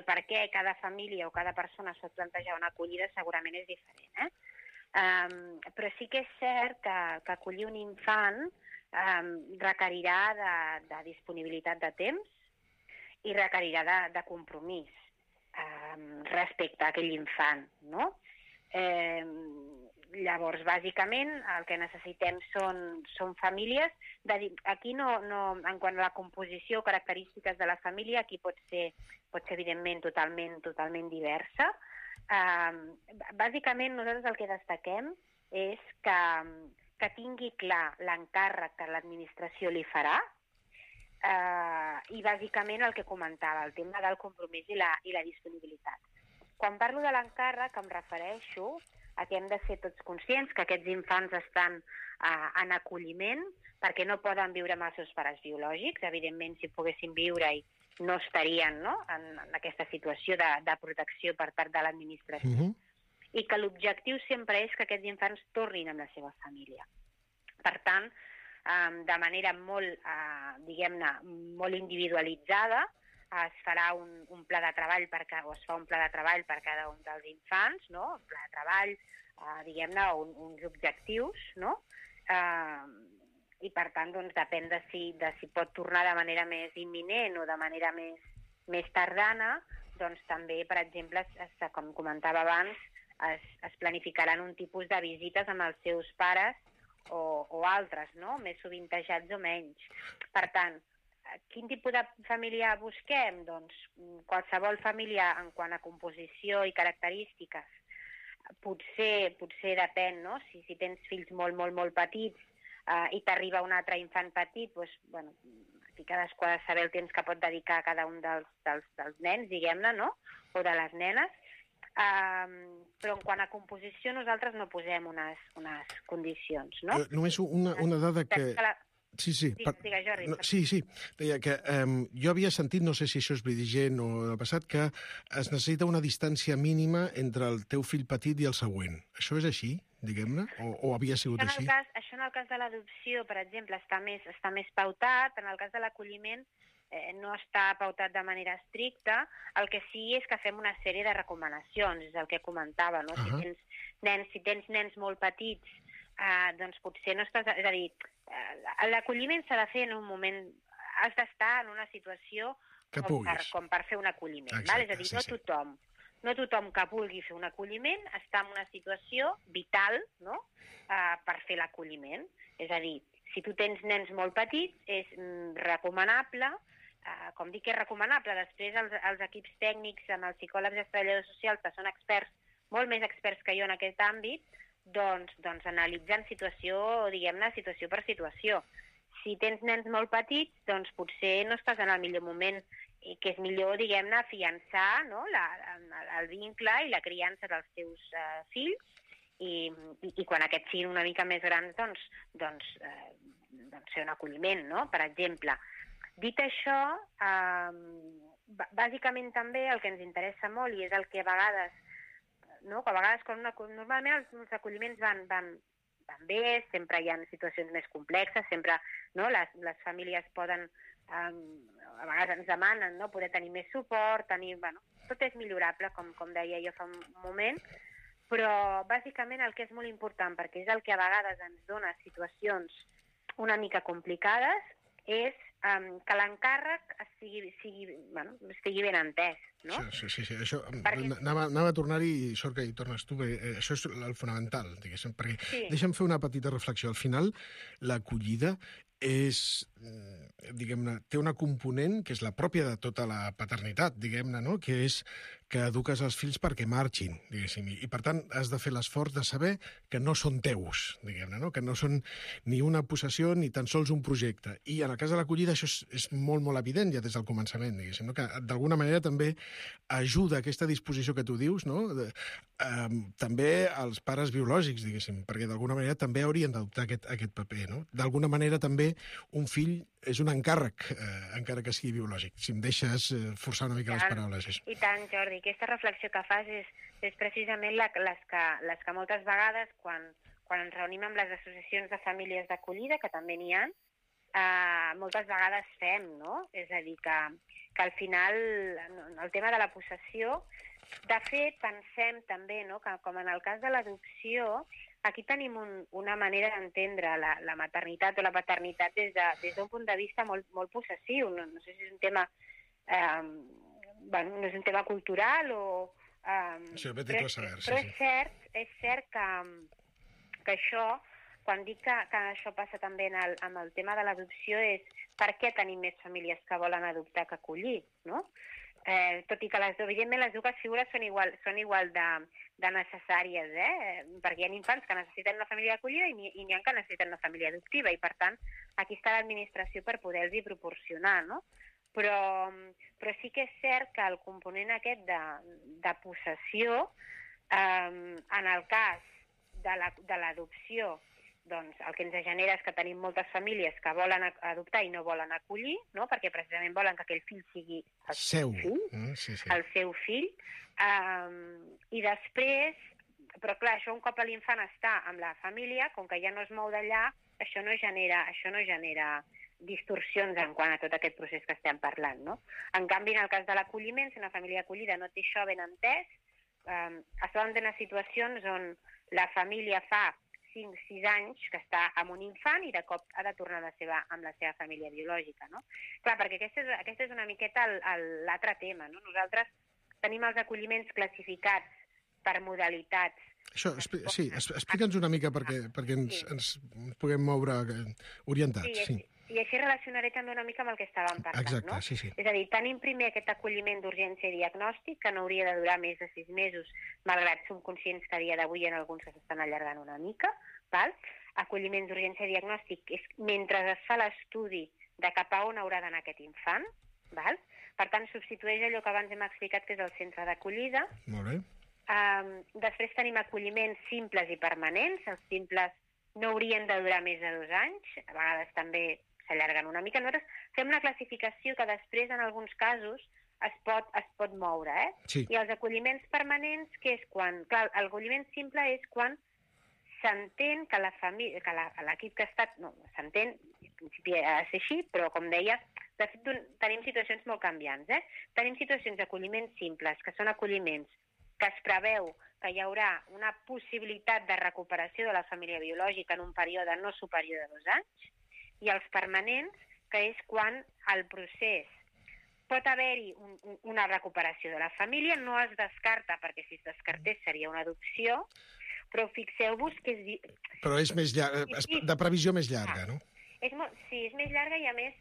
per què cada família o cada persona es pot plantejar una acollida segurament és diferent, però sí que és cert que acollir un infant requerirà de disponibilitat de temps i requerirà de compromís respecte a aquell infant, no? Llavors, bàsicament, el que necessitem són famílies. Aquí, en quant a la composició o característiques de la família, aquí pot ser evidentment, totalment diversa. Bàsicament, nosaltres el que destaquem és que tingui clar l'encàrrec que l'administració li farà i, bàsicament, el que comentava, el tema del compromís i la disponibilitat. Quan parlo de l'encàrrec, em refereixo a que hem de ser tots conscients que aquests infants estan en acolliment perquè no poden viure amb els seus pares biològics. Evidentment, si poguessin viure-hi, no estarien en aquesta situació de protecció per part de l'administració. I que l'objectiu sempre és que aquests infants tornin amb la seva família. Per tant, de manera molt, diguem-ne, molt individualitzada, es farà un pla de treball o es fa un pla de treball per cada un dels infants, no? Un pla de treball, diguem-ne, uns objectius, no? I, per tant, doncs, depèn de si pot tornar de manera més imminent o de manera més tardana, doncs també, per exemple, com comentava abans, es planificaran un tipus de visites amb els seus pares o altres, no? Més sovintejats o menys. Per tant, quin tipus de família busquem? Doncs qualsevol família en quant a composició i característiques. Potser depèn, no? Si tens fills molt petits i t'arriba un altre infant petit, doncs, bueno, aquí cadascú ha de saber el temps que pot dedicar a cada un dels nens, diguem-ne, no? O de les nenes. Però en quant a composició nosaltres no posem unes condicions, no?
Només una dada que... Sí.
Digues, Jordi.
Sí. Deia que jo havia sentit, no sé si això és vigent o del passat, que es necessita una distància mínima entre el teu fill petit i el següent. Això és així, diguem-ne? O havia sigut així?
Això en el cas de l'adopció, per exemple, està més pautat. En el cas de l'acolliment no està pautat de manera estricta. El que sí és que fem una sèrie de recomanacions, és el que comentava, no? Si tens nens molt petits, doncs potser no estàs... És a dir, l'acolliment s'ha de fer en un moment... Has d'estar en una situació com per fer un acolliment. Exacte, és a dir, no tothom que vulgui fer un acolliment està en una situació vital, no?, per fer l'acolliment. És a dir, si tu tens nens molt petits, és recomanable... Com dic que és recomanable, després els equips tècnics, amb els psicòlegs i els treballadors socials, que són experts, molt més experts que jo en aquest àmbit, doncs analitzen situació, diguem-ne, situació per situació. Si tens nens molt petits, doncs potser no estàs en el millor moment, i que és millor, diguem-ne, afiançar, no?, el vincle i la criança dels teus fills, i quan aquests siguin una mica més grans, doncs fer un acolliment, no?, per exemple. Dit això, bàsicament també el que ens interessa molt i és el que a vegades, no? Que a vegades normalment els acolliments van bé, sempre hi ha situacions més complexes, sempre, no? Les famílies poden, a vegades ens demanen, no? Poder tenir més suport, tot és millorable, com deia jo fa un moment, però bàsicament el que és molt important, perquè és el que a vegades ens dona situacions una mica complicades, és que l'encàrrec estigui ben entès, no?
Sí. Això, anava a tornar-hi i sort que hi tornes tu, perquè això és el fonamental, diguéssim, perquè deixa'm fer una petita reflexió. Al final, l'acollida és, diguem-ne, té una component que és la pròpia de tota la paternitat, diguem-ne, no? Que és que eduques els fills perquè marxin, diguéssim, i per tant has de fer l'esforç de saber que no són teus, diguem-ne, no? Que no són ni una possessió ni tan sols un projecte. I en el cas de l'acollida això és molt, molt evident ja des del començament, diguéssim, no? Que d'alguna manera també ajuda aquesta disposició que tu dius, no? També als pares biològics, diguéssim, perquè d'alguna manera també haurien d'adoptar aquest paper, no? D'alguna manera també un fill és un encàrrec, encara que sigui biològic. Si em deixes forçar una mica les paraules.
I tant, Jordi. Aquesta reflexió que fas és precisament les que moltes vegades, quan ens reunim amb les associacions de famílies d'acollida, que també n'hi ha, moltes vegades fem, no? És a dir, que al final el tema de la possessió, de fet, pensem també, no? Que com en el cas de l'adopció, aquí tenim una manera d'entendre la maternitat o la paternitat des d'un punt de vista molt possessiu. No sé si és un tema no és un tema cultural o...
Però
és cert que això, quan dic que això passa també amb el tema de l'adopció, és per què tenim més famílies que volen adoptar que acollir, no? Tot i que evidentment les dues figures són igual de necessàries, perquè hi ha infants que necessiten una família d'acollida i n'hi ha que necessiten una família adoptiva, i per tant aquí està l'administració per poder-los proporcionar, no? Però sí que és cert que el component aquest de possessió, en el cas de l'adopció, doncs el que ens genera és que tenim moltes famílies que volen adoptar i no volen acollir, no? Perquè precisament volen que aquell fill sigui el seu fill. I després, però clar, això un cop l'infant està amb la família, com que ja no es mou d'allà, això no genera distorsions en quant a tot aquest procés que estem parlant, no? En canvi, en el cas de l'acolliment, si una família d'acollida no té això ben entès, es poden tenir situacions on la família fa 5-6 anys que està amb un infant i de cop ha de tornar amb la seva família biològica, no? Clar, perquè aquest és una miqueta l'altre tema, no? Nosaltres tenim els acolliments classificats per modalitats.
Això, sí, explica'ns una mica perquè ens puguem moure orientats. Sí.
I així relacionaré també una mica amb el que estàvem parlant,
exacte,
no?
Sí.
És a dir, tenim primer aquest acolliment d'urgència i diagnòstic, que no hauria de durar més de 6 mesos, malgrat som conscients que a dia d'avui en alguns s'estan allargant una mica, val? Acolliment d'urgència i diagnòstic és mentre es fa l'estudi de cap a on haurà d'anar aquest infant, val? Per tant, substitueix allò que abans hem explicat que és el centre d'acollida.
Molt bé.
Després tenim acolliments simples i permanents. Els simples no haurien de durar més de 2 anys, a vegades també s'allarguen una mica. Nosaltres fem una classificació que després, en alguns casos, es pot moure,
Sí.
I els acolliments permanents, que és quan... Clar, l'acolliment simple és quan s'entén que l'equip que ha estat... No, s'entén, en principi ha de ser així, però, com deia, de fet, tenim situacions molt canviants, Tenim situacions d'acolliments simples, que són acolliments que es preveu que hi haurà una possibilitat de recuperació de la família biològica en un període no superior a 2 anys, i els permanents, que és quan el procés pot haver-hi una recuperació de la família, no es descarta, perquè si es descartés seria una adopció, però fixeu-vos que és...
Però és més llarga, de previsió més llarga, no?
Sí, és més llarga i, a més,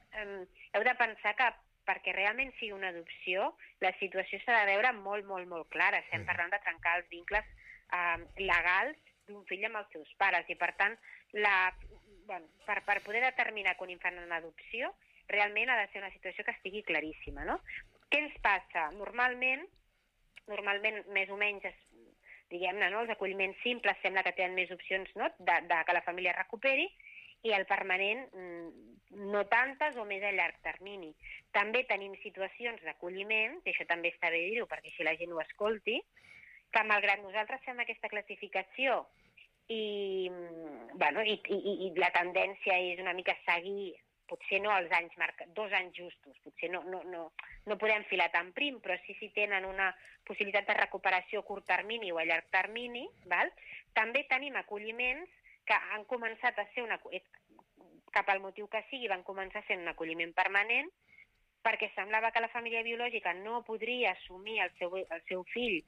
heu de pensar que perquè realment sigui una adopció, la situació s'ha de veure molt, molt, molt clara. Estem parlant de trencar els vincles legals d'un fill amb els seus pares, i, per tant, per poder determinar que un infant en adopció, realment ha de ser una situació que estigui claríssima, no? Què ens passa? Normalment, més o menys, diguem-ne, no? Els acolliments simples sembla que tenen més opcions, no? de que la família recuperi, i el permanent no tantes o més a llarg termini. També tenim situacions d'acolliment, i això també està bé dir-ho perquè si la gent ho escolti, que malgrat nosaltres fem aquesta classificació i la tendència és una mica seguir, potser no els anys 2 anys justos, potser no podem filar tan prim, però sí si tenen una possibilitat de recuperació a curt termini o a llarg termini, val? També tenim acolliments que han començat a ser cap al motiu que sigui, van començar a ser un acolliment permanent perquè semblava que la família biològica no podria assumir el seu fill,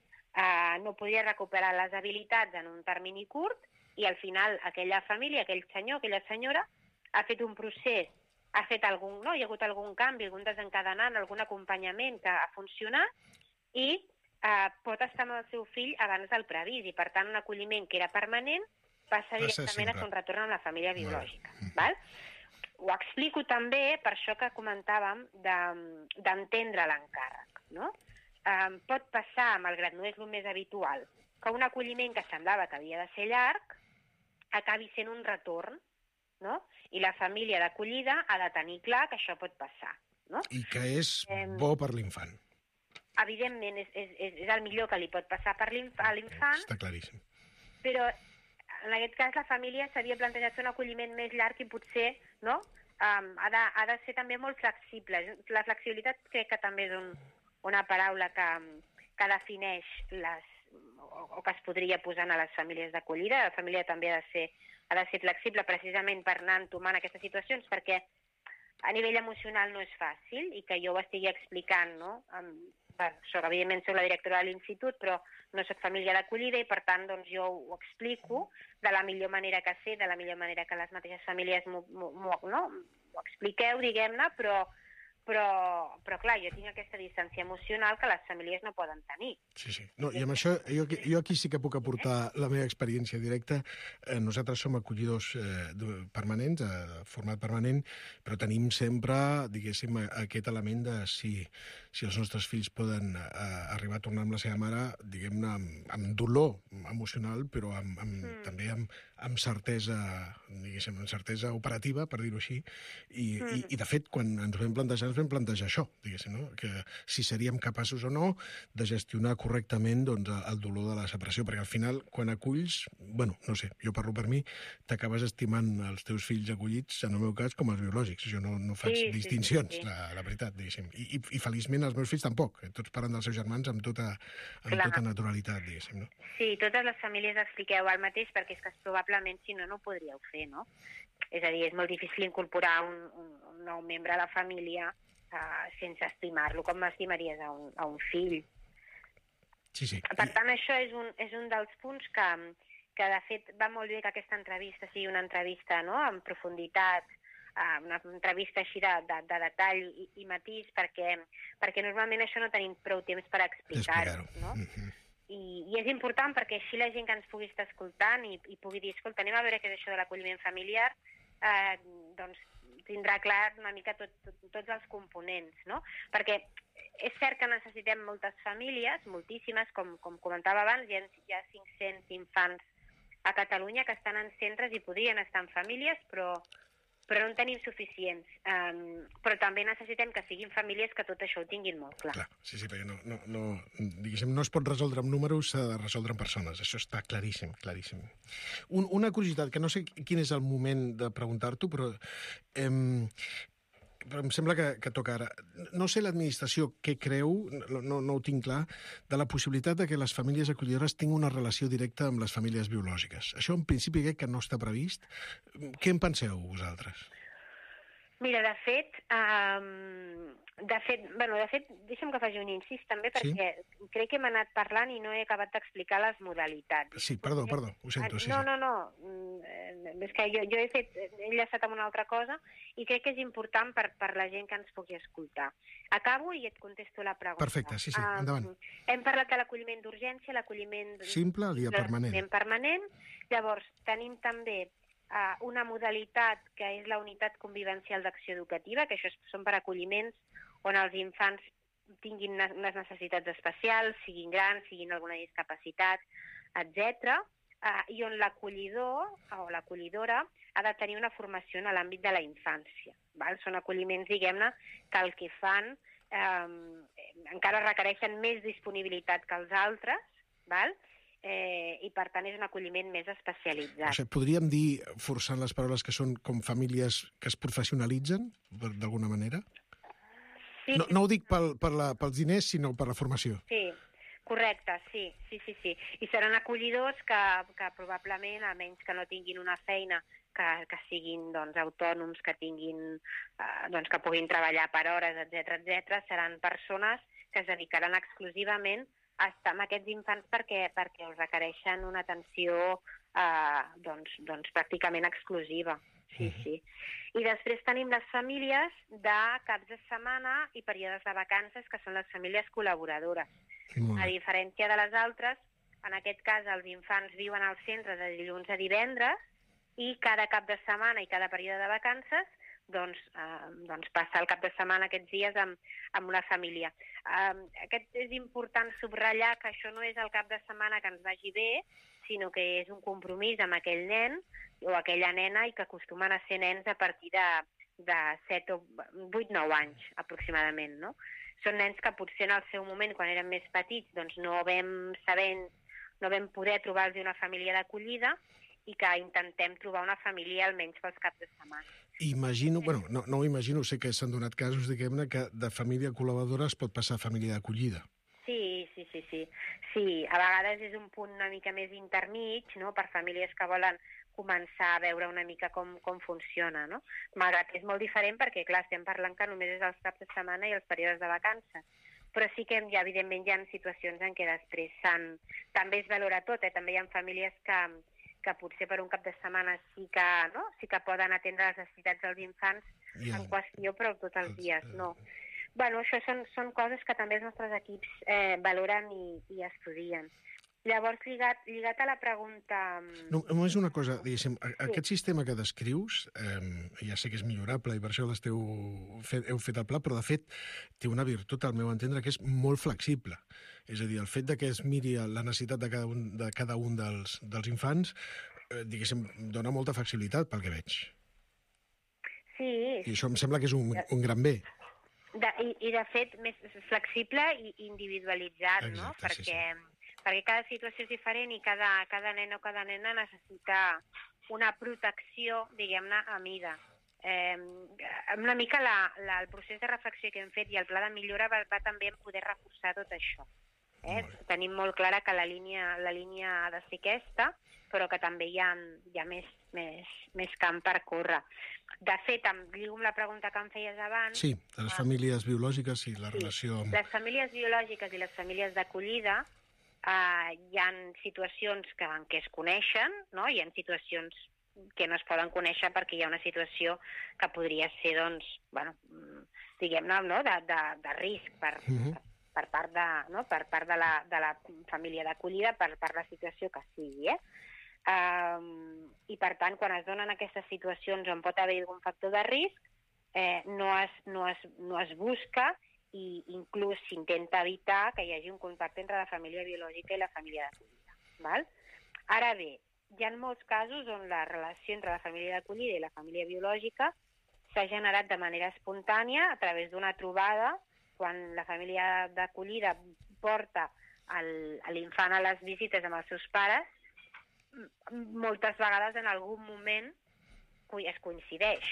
no podia recuperar les habilitats en un termini curt i al final aquella família, aquell senyor, aquella senyora ha fet un procés, hi ha hagut algun canvi, algun desencadenant, algun acompanyament que ha funcionat i pot estar amb el seu fill abans del previst i per tant un acolliment que era permanent passa directament a fer un retorn amb la família biològica. Val? Ho explico també per això que comentàvem d'entendre l'encàrrec. No? Pot passar, malgrat no és el més habitual, que un acolliment que semblava que havia de ser llarg acabi sent un retorn, no? I la família d'acollida ha de tenir clar que això pot passar. No?
I que és bo per l'infant.
Evidentment, és el millor que li pot passar a l'infant.
Està claríssim.
Però en aquest cas la família s'havia plantejat fer un acolliment més llarg i potser ha de ser també molt flexible. La flexibilitat crec que també és una paraula que defineix o que es podria posar a les famílies d'acollida. La família també ha de ser flexible precisament per anar entomant aquestes situacions perquè a nivell emocional no és fàcil i que jo ho estigui explicant, no? Evidentment soc la directora de l'institut, però no soc família d'acollida i per tant doncs, jo ho explico de la millor manera que sé, de la millor manera que les mateixes famílies m'ho expliqueu, diguem-ne, però clar, jo tinc aquesta distància emocional que les famílies no poden tenir.
Sí. No, i amb això, jo aquí sí que puc aportar la meva experiència directa. Nosaltres som acollidors permanents, format permanent, però tenim sempre, diguéssim, aquest element de si els nostres fills poden arribar a tornar amb la seva mare, diguem-ne, amb dolor emocional, però també amb certesa, diguéssim, amb certesa operativa, per dir-ho així, i de fet, quan ens vam plantejar això, diguéssim, no? Que si seríem capaços o no de gestionar correctament doncs, el dolor de la separació, perquè al final, quan aculls, bueno, no sé, jo parlo per mi, t'acabes estimant els teus fills acollits, en el meu cas, com els biològics. Jo no faig distincions, la veritat, diguéssim. I feliçment els meus fills tampoc. Tots parlen dels seus germans amb tota naturalitat, diguéssim, no?
Sí, totes les famílies expliqueu el mateix, perquè és que probablement, si no, no ho podríeu fer, no? És a dir, és molt difícil incorporar un nou membre a la família sense estimar-lo com estimaries a un fill.
Sí.
Per tant, això és un dels punts que de fet va molt bé que aquesta entrevista sigui una entrevista en profunditat, una entrevista així de detall i matís, perquè normalment això no tenim prou temps per explicar-ho. No? I és important perquè així la gent que ens pugui estar escoltant i pugui dir, escolta, anem a veure què és això de l'acolliment familiar, doncs tindrà clar una mica tots els components, no? Perquè és cert que necessitem moltes famílies, moltíssimes, com comentava abans, hi ha 500 infants a Catalunya que estan en centres i podrien estar en famílies, però no en tenim suficients. Però també necessitem que siguin famílies que tot això ho tinguin molt clar.
Sí, perquè no es pot resoldre amb números, s'ha de resoldre amb persones. Això està claríssim, claríssim. Una curiositat, que no sé quin és el moment de preguntar-t'ho, però em sembla que toca ara. No sé l'administració què creu, no ho tinc clar, de la possibilitat de que les famílies acollidores tinguin una relació directa amb les famílies biològiques. Això en principi crec que no està previst. Què en penseu vosaltres?
Mira, de fet, deixa'm que faci un incís també, perquè crec que hem anat parlant i no he acabat d'explicar les modalitats.
Sí, perdó, ho sento.
No, és que jo he enllaçat amb una altra cosa i crec que és important per la gent que ens pugui escoltar. Acabo i et contesto la pregunta.
Perfecte, sí, endavant.
Hem parlat de l'acolliment d'urgència, l'acolliment
simple i el permanent.
Llavors, tenim també una modalitat que és la unitat convivencial d'acció educativa, que això són per acolliments on els infants tinguin unes necessitats especials, siguin grans, siguin alguna discapacitat, etc. i on l'acollidor o l'acollidora ha de tenir una formació en l'àmbit de la infància. Val? Són acolliments, diguem-ne, que el que fan encara requereixen més disponibilitat que els altres, val? I per tant és un acolliment més especialitzat.
O sigui, podríem dir, forçant les paraules, que són com famílies que es professionalitzen, d'alguna manera?
Sí,
no ho dic pels diners, sinó per la formació.
Sí, correcte, sí. I seran acollidors que probablement, almenys que no tinguin una feina, que siguin autònoms, que tinguin, que puguin treballar per hores, etc., seran persones que es dedicaran exclusivament a estar amb aquests infants perquè els requereixen una atenció pràcticament exclusiva. Sí. I després tenim les famílies de caps de setmana i períodes de vacances, que són les famílies col·laboradores. A diferència de les altres, en aquest cas els infants viuen al centre de dilluns a divendres i cada cap de setmana i cada període de vacances passar el cap de setmana aquests dies amb una família. És important subratllar que això no és el cap de setmana que ens vagi bé, sinó que és un compromís amb aquell nen o aquella nena i que acostumen a ser nens a partir de 7 o 8-9 anys, aproximadament, no? Són nens que potser en el seu moment, quan eren més petits, no vam poder trobar-los una família d'acollida i que intentem trobar una família almenys pels caps de setmana.
Imagino, no ho imagino, sé que s'han donat casos, diguem-ne, que de família col·laboradora es pot passar a família d'acollida.
Sí. A vegades és un punt una mica més intermig, no?, per famílies que volen començar a veure una mica com funciona, no? Malgrat que és molt diferent perquè, clar, estem parlant que només és els caps de setmana i els períodes de vacances. Però sí que, evidentment, hi ha situacions en què després també es valora tot, també hi ha famílies que potser per un cap de setmana sí que poden atendre les necessitats dels infants en qüestió, però tots els dies no. Això són coses que també els nostres equips valoren i estudien. Llavors, lligat a la pregunta...
Només una cosa, diguéssim, aquest sistema que descrius, ja sé que és millorable i per això heu fet el pla, però de fet té una virtut, al meu entendre, que és molt flexible. És a dir, el fet que es miri la necessitat de cada un dels infants, diguéssim, dona molta flexibilitat pel que veig.
Sí.
I això em sembla que és un gran bé.
I de fet, més flexible i individualitzat, no? Perquè cada situació és diferent i cada nen o cada nena necessita una protecció, diguem-ne, a mida. Una mica el procés de reflexió que hem fet i el pla de millora va també en poder reforçar tot això. Tenim molt clara que la línia ha de ser aquesta, però que també hi ha més camp per córrer. De fet, em lligo amb la pregunta que em feies abans...
Sí, de les famílies biològiques i la relació...
Les famílies biològiques i les famílies d'acollida hi ha situacions en què es coneixen, no? Hi ha situacions que no es poden conèixer perquè hi ha una situació que podria ser, diguem-ne, de risc per part de la família d'acollida, per la situació que sigui, i per tant, quan es donen aquestes situacions on pot haver algun factor de risc, no es busca i inclús s'intenta evitar que hi hagi un contacte entre la família biològica i la família d'acollida. Ara bé, hi ha molts casos on la relació entre la família d'acollida i la família biològica s'ha generat de manera espontània a través d'una trobada, quan la família d'acollida porta l'infant a les visites amb els seus pares, moltes vegades en algun moment es coincideix.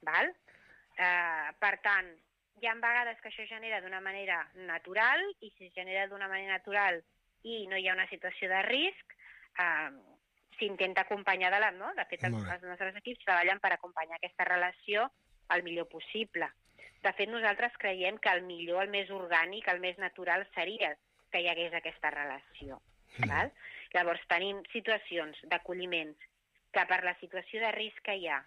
Per tant, hi ha vegades que això genera d'una manera natural, i si es genera d'una manera natural i no hi ha una situació de risc, s'intenta acompanyar de fet, els nostres equips treballen per acompanyar aquesta relació el millor possible. De fet, nosaltres creiem que el millor, el més orgànic, el més natural seria que hi hagués aquesta relació. Llavors, tenim situacions d'acolliments que per la situació de risc que hi ha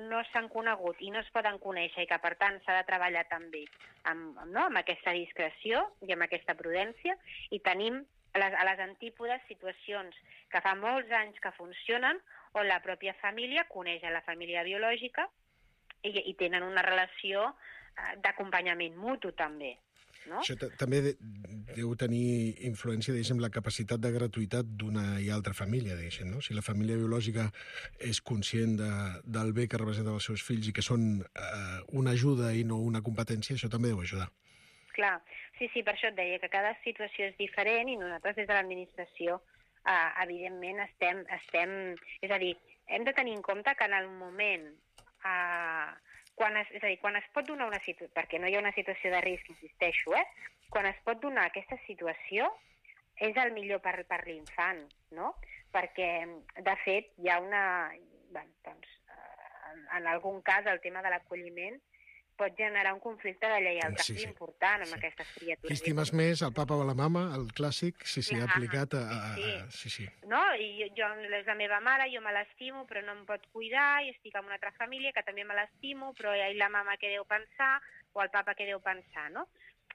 no s'han conegut i no es poden conèixer i que, per tant, s'ha de treballar també amb aquesta discreció i amb aquesta prudència, i tenim a les antípodes situacions que fa molts anys que funcionen on la pròpia família coneix a la família biològica i tenen una relació d'acompanyament mutu també. no?
Això també deu tenir influència, diguéssim, la capacitat de gratuïtat d'una i altra família, diguéssim, no? Si la família biològica és conscient del bé que representen els seus fills i que són una ajuda i no una competència, això també deu ajudar.
Clar, sí, per això et deia que cada situació és diferent i nosaltres des de l'administració evidentment estem... És a dir, hem de tenir en compte que en el moment... quan es pot donar una situació, perquè no hi ha una situació de risc, insisteixo, quan es pot donar aquesta situació és el millor per l'infant, no? Perquè, de fet, hi ha una... en algun cas, el tema de l'acolliment pot generar un conflicte de lleialtat important amb aquestes criatures.
Qui estimes més, el papa o la mama, el clàssic, sí, aplicat a... Sí.
No? I jo, és la meva mare, jo me l'estimo, però no em pot cuidar, i estic amb una altra família que també me l'estimo, però i la mama què deu pensar, o el papa què deu pensar, no?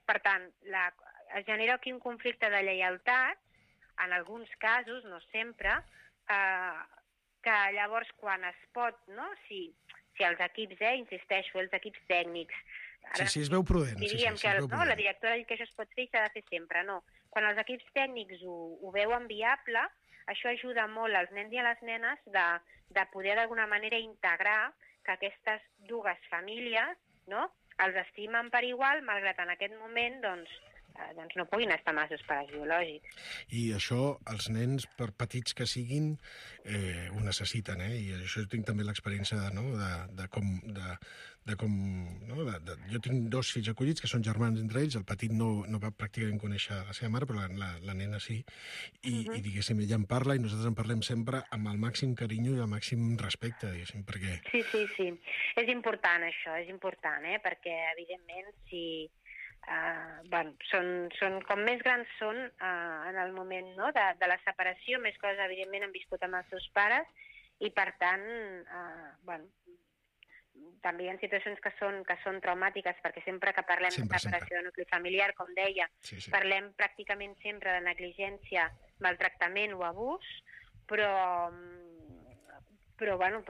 Per tant, es genera aquí un conflicte de lleialtat, en alguns casos, no sempre, que llavors quan es pot, no?, si els equips, insisteixo, els equips tècnics...
Sí, es veu prudent.
Diríem que la directora ha dit que això es pot fer i s'ha de fer sempre, no. Quan els equips tècnics ho veuen viable, això ajuda molt als nens i a les nenes de poder d'alguna manera integrar que aquestes dues famílies, no?, els estimen per igual, malgrat en aquest moment, doncs no puguin estar amb els seus pares biològics.
I això, els nens, per petits que siguin, ho necessiten, i això tinc també l'experiència de com... Jo tinc 2 fills acollits, que són germans entre ells, el petit no va pràcticament conèixer la seva mare, però la nena sí, i diguéssim, ella en parla i nosaltres en parlem sempre amb el màxim carinyo i el màxim respecte, diguéssim, perquè...
Sí. És important això, és important, perquè, evidentment, si... són com més grans són en el moment de la separació, més coses evidentment han viscut amb els seus pares i per tant també hi ha situacions que són traumàtiques perquè sempre que parlem de separació de nucli familiar, com deia, parlem pràcticament sempre de negligència, maltractament o abús, però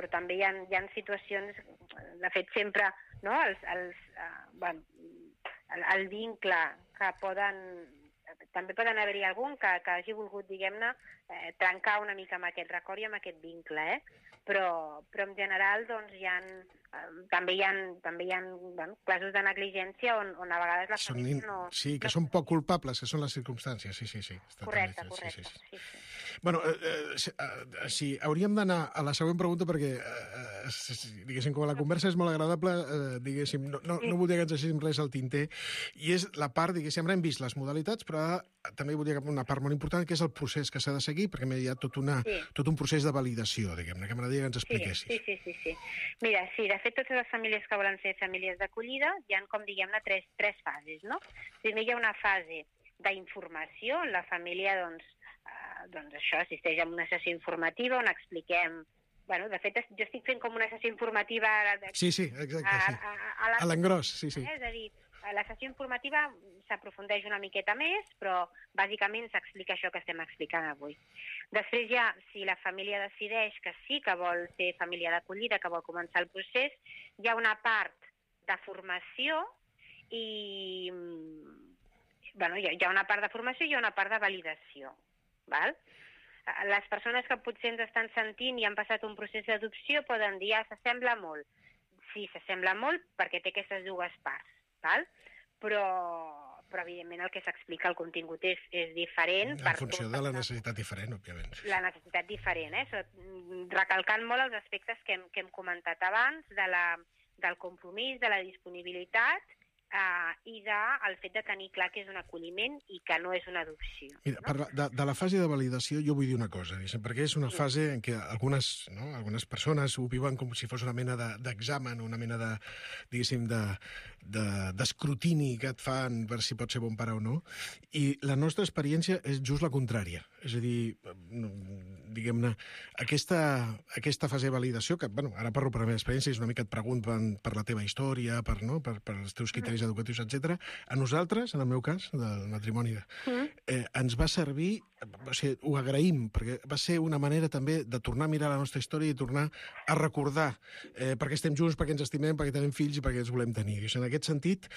també hi ha situacions, de fet sempre el vincle que també poden haver-hi algun que hagi volgut, diguem-ne, trencar una mica amb aquest record i amb aquest vincle, però en general doncs també hi ha casos de negligència on a vegades la família no...
Sí, que són poc culpables, que són les circumstàncies, sí.
Correcte.
Bueno, sí, hauríem d'anar a la següent pregunta perquè, diguéssim, com la conversa és molt agradable, diguéssim, no voldria que ens deixéssim res al tinter, i és la part, diguéssim, ara hem vist les modalitats, però també voldria que una part molt important, que és el procés que s'ha de seguir, perquè hi ha tot un procés de validació, diguem-ne, que m'agradaria que ens expliquessis.
Sí. Mira, sí, de fet, totes les famílies que volen ser famílies d'acollida hi ha, com diguem-ne, tres fases, no? Primer hi ha una fase d'informació, on la família, doncs això, assisteix a una sessió informativa on expliquem... de fet, jo estic fent com una sessió informativa...
Sí, exacte, a l'engròs, sí.
És a dir, a la sessió informativa s'aprofundeix una miqueta més, però bàsicament s'explica això que estem explicant avui. Després ja, si la família decideix que sí que vol ser família d'acollida, que vol començar el procés, hi ha una part de formació i... hi ha una part de formació i hi ha una part de validació, val? Les persones que potser ens estan sentint i han passat un procés d'adopció poden dir, s'assembla molt. Sí, s'assembla molt perquè té aquestes dues parts, val? Però evidentment el que s'explica, el contingut és diferent.
En funció de la necessitat diferent, òbviament.
La necessitat diferent, recalcant molt els aspectes que hem comentat abans, del compromís, de la disponibilitat, i del fet de tenir clar que és un acolliment i que no és una adopció.
Mira, de la fase de validació jo vull dir una cosa, perquè és una fase en què algunes persones ho viuen com si fos una mena d'examen, una mena de, diguéssim, d'escrutini que et fan per si pot ser bon pare o no, i la nostra experiència és just la contrària. És a dir, diguem-ne, aquesta fase de validació, que, ara parlo per la meva experiència, és una mica et pregunten per la teva història, per els teus criteris serveis educatius, etc. A nosaltres, en el meu cas, del matrimoni, ens va servir, o sigui, ho agraïm, perquè va ser una manera també de tornar a mirar la nostra història i tornar a recordar perquè estem junts, perquè ens estimem, perquè tenim fills i perquè els volem tenir. I en aquest sentit,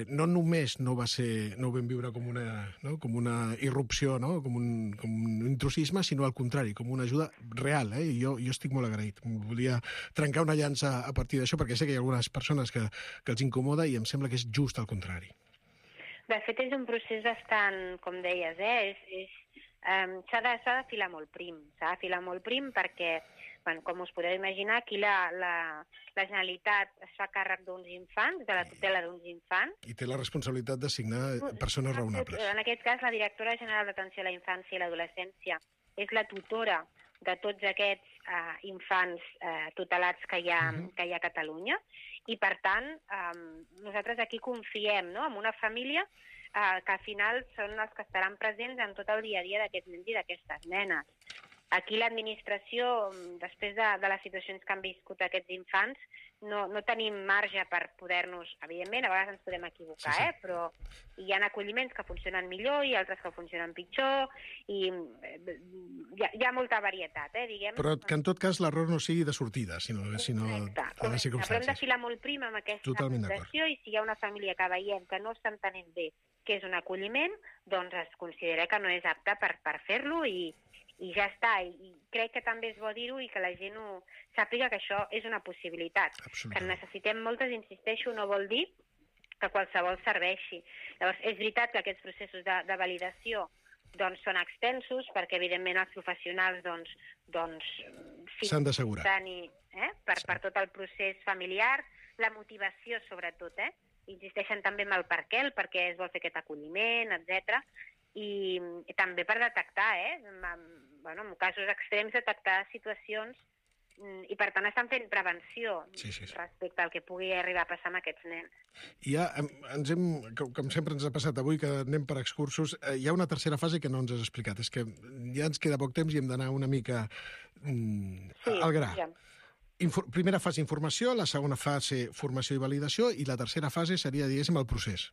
no només no ho vam viure com una irrupció, no? com un intrusisme, sinó al contrari, com una ajuda real. I jo estic molt agraït. Volia trencar una llança a partir d'això, perquè sé que hi ha algunes persones que els incomoda i em sembla que és just al contrari.
De fet, és un procés bastant, com deies, s'ha de filar molt prim. S'ha de filar molt prim perquè, com us podeu imaginar, aquí la Generalitat es fa càrrec d'uns infants, de la tutela d'uns infants.
I té la responsabilitat d'assignar persones raonables.
En aquest cas, la directora general d'Atenció a la Infància i l'Adolescència és la tutora de tots aquests infants tutelats que hi ha a Catalunya. I, per tant, nosaltres aquí confiem en una família que al final són els que estaran presents en tot el dia a dia d'aquests nens i d'aquestes nenes. Aquí l'administració, després de les situacions que han viscut aquests infants, no tenim marge per poder-nos... Evidentment, a vegades ens podem equivocar, però hi ha acolliments que funcionen millor i altres que funcionen pitjor, i hi ha molta varietat, diguem.
Però que en tot cas l'error no sigui de sortida, sinó de les circumstàncies.
Però hem de filar molt prim amb aquesta situació, i si hi ha una família que veiem que no està entenent bé què és un acolliment, doncs es considera que no és apte per fer-lo i ja està. I crec que també és bo dir-ho i que la gent sàpiga que això és una possibilitat. Que en necessitem moltes, insisteixo, no vol dir que qualsevol serveixi. Llavors, és veritat que aquests processos de validació són extensos, perquè evidentment els professionals
s'han d'assegurar
per tot el procés familiar, la motivació sobretot, insisteixen també en el per què es vol fer aquest acolliment, etc. I també per detectar, en casos extrems, detectar situacions, i per tant estan fent prevenció respecte al que pugui arribar a passar amb aquests nens.
I ja com sempre ens ha passat avui, que anem per excursos, hi ha una tercera fase que no ens has explicat, és que ja ens queda poc temps i hem d'anar una mica al gra. Primera fase, informació, la segona fase, formació i validació, i la tercera fase seria, diguéssim, el procés.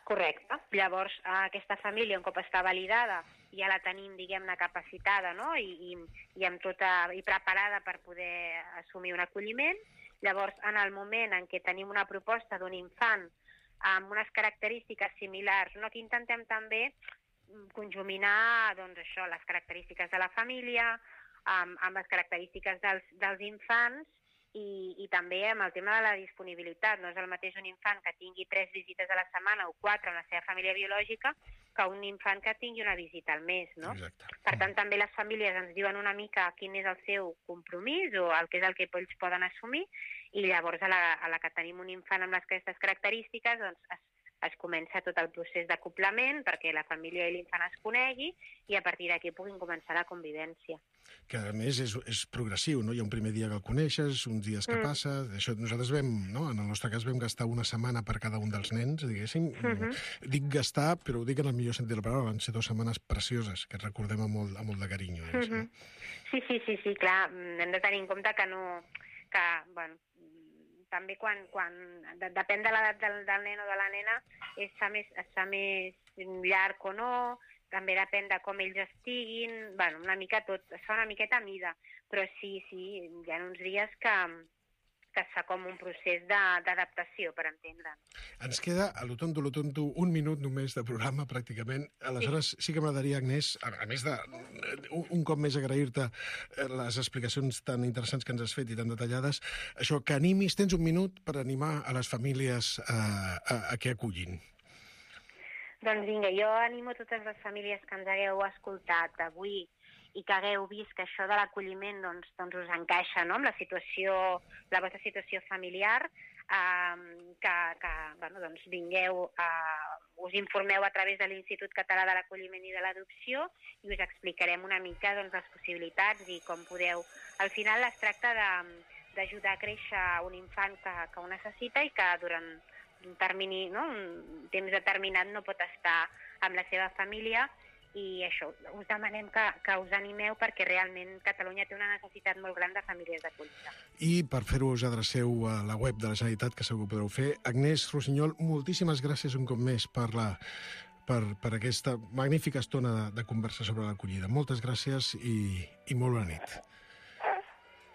Correcte. Llavors, aquesta família, un cop està validada, ja la tenim, diguem-ne, capacitada, no? I preparada per poder assumir un acolliment. Llavors, en el moment en què tenim una proposta d'un infant amb unes característiques similars, aquí intentem també conjuminar les característiques de la família amb les característiques dels infants, i també amb el tema de la disponibilitat. No és el mateix un infant que tingui 3 visites a la setmana o 4 amb la seva família biològica que un infant que tingui una visita al mes, no? Per tant, també les famílies ens diuen una mica quin és el seu compromís o el que és el que ells poden assumir, i llavors a la que tenim un infant amb aquestes característiques, es comença tot el procés d'acoplament perquè la família i l'infant es conegui i a partir d'aquí puguin començar la convivència.
Que a més és progressiu, no? Hi ha un primer dia que el coneixes, uns dies que passa... Això nosaltres en el nostre cas vam gastar una setmana per cada un dels nens, diguéssim. Dic gastar, però ho dic en el millor sentit de la paraula, van ser 2 setmanes precioses, que recordem amb molt de carinyo.
Sí, clar, hem de tenir en compte que també quan depèn de l'edat del nen o de la nena, es fa més llarg o no, també depèn de com ells estiguin, una mica tot, es fa una miqueta a mida, però sí, hi ha uns dies que es fa com un procés d'adaptació, per entendre'n.
Ens queda, a lo tonto, 1 minut només de programa, pràcticament. Aleshores, sí que m'agradaria, Agnès, a més de un cop més agrair-te les explicacions tan interessants que ens has fet i tan detallades, això, que animis, tens 1 minut per animar a les famílies a que akullin.
Doncs vinga, jo animo totes les famílies que ens hagueu escoltat avui i que hagueu vist que això de l'acolliment doncs us encaixa, no?, amb la vostra situació familiar, que vingueu, us informeu a través de l'Institut Català de l'Acolliment i de l'Adopció i us explicarem una mica les possibilitats i com podeu... Al final es tracta d'ajudar a créixer un infant que ho necessita i que durant un termini, un temps determinat no pot estar amb la seva família, i això, us demanem que us animeu perquè realment Catalunya té una necessitat molt gran de famílies d'acollida.
I per fer-ho us adreceu a la web de la Generalitat, que segur que podreu fer. Agnès Rossinyol, moltíssimes gràcies un cop més per aquesta magnífica estona de conversa sobre l'acollida. Moltes gràcies i molt bona nit.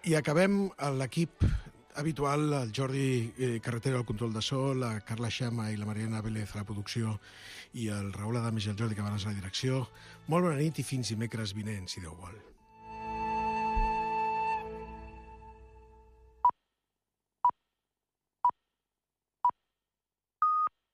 I acabem l'equip habitual, el Jordi Carretero al control de so, la Carla Xama i la Mariana Vélez a la producció i el Raül Adames i el Jordi Cabanes a la direcció. Molt bona nit i fins dimecres vinent, si Déu vol.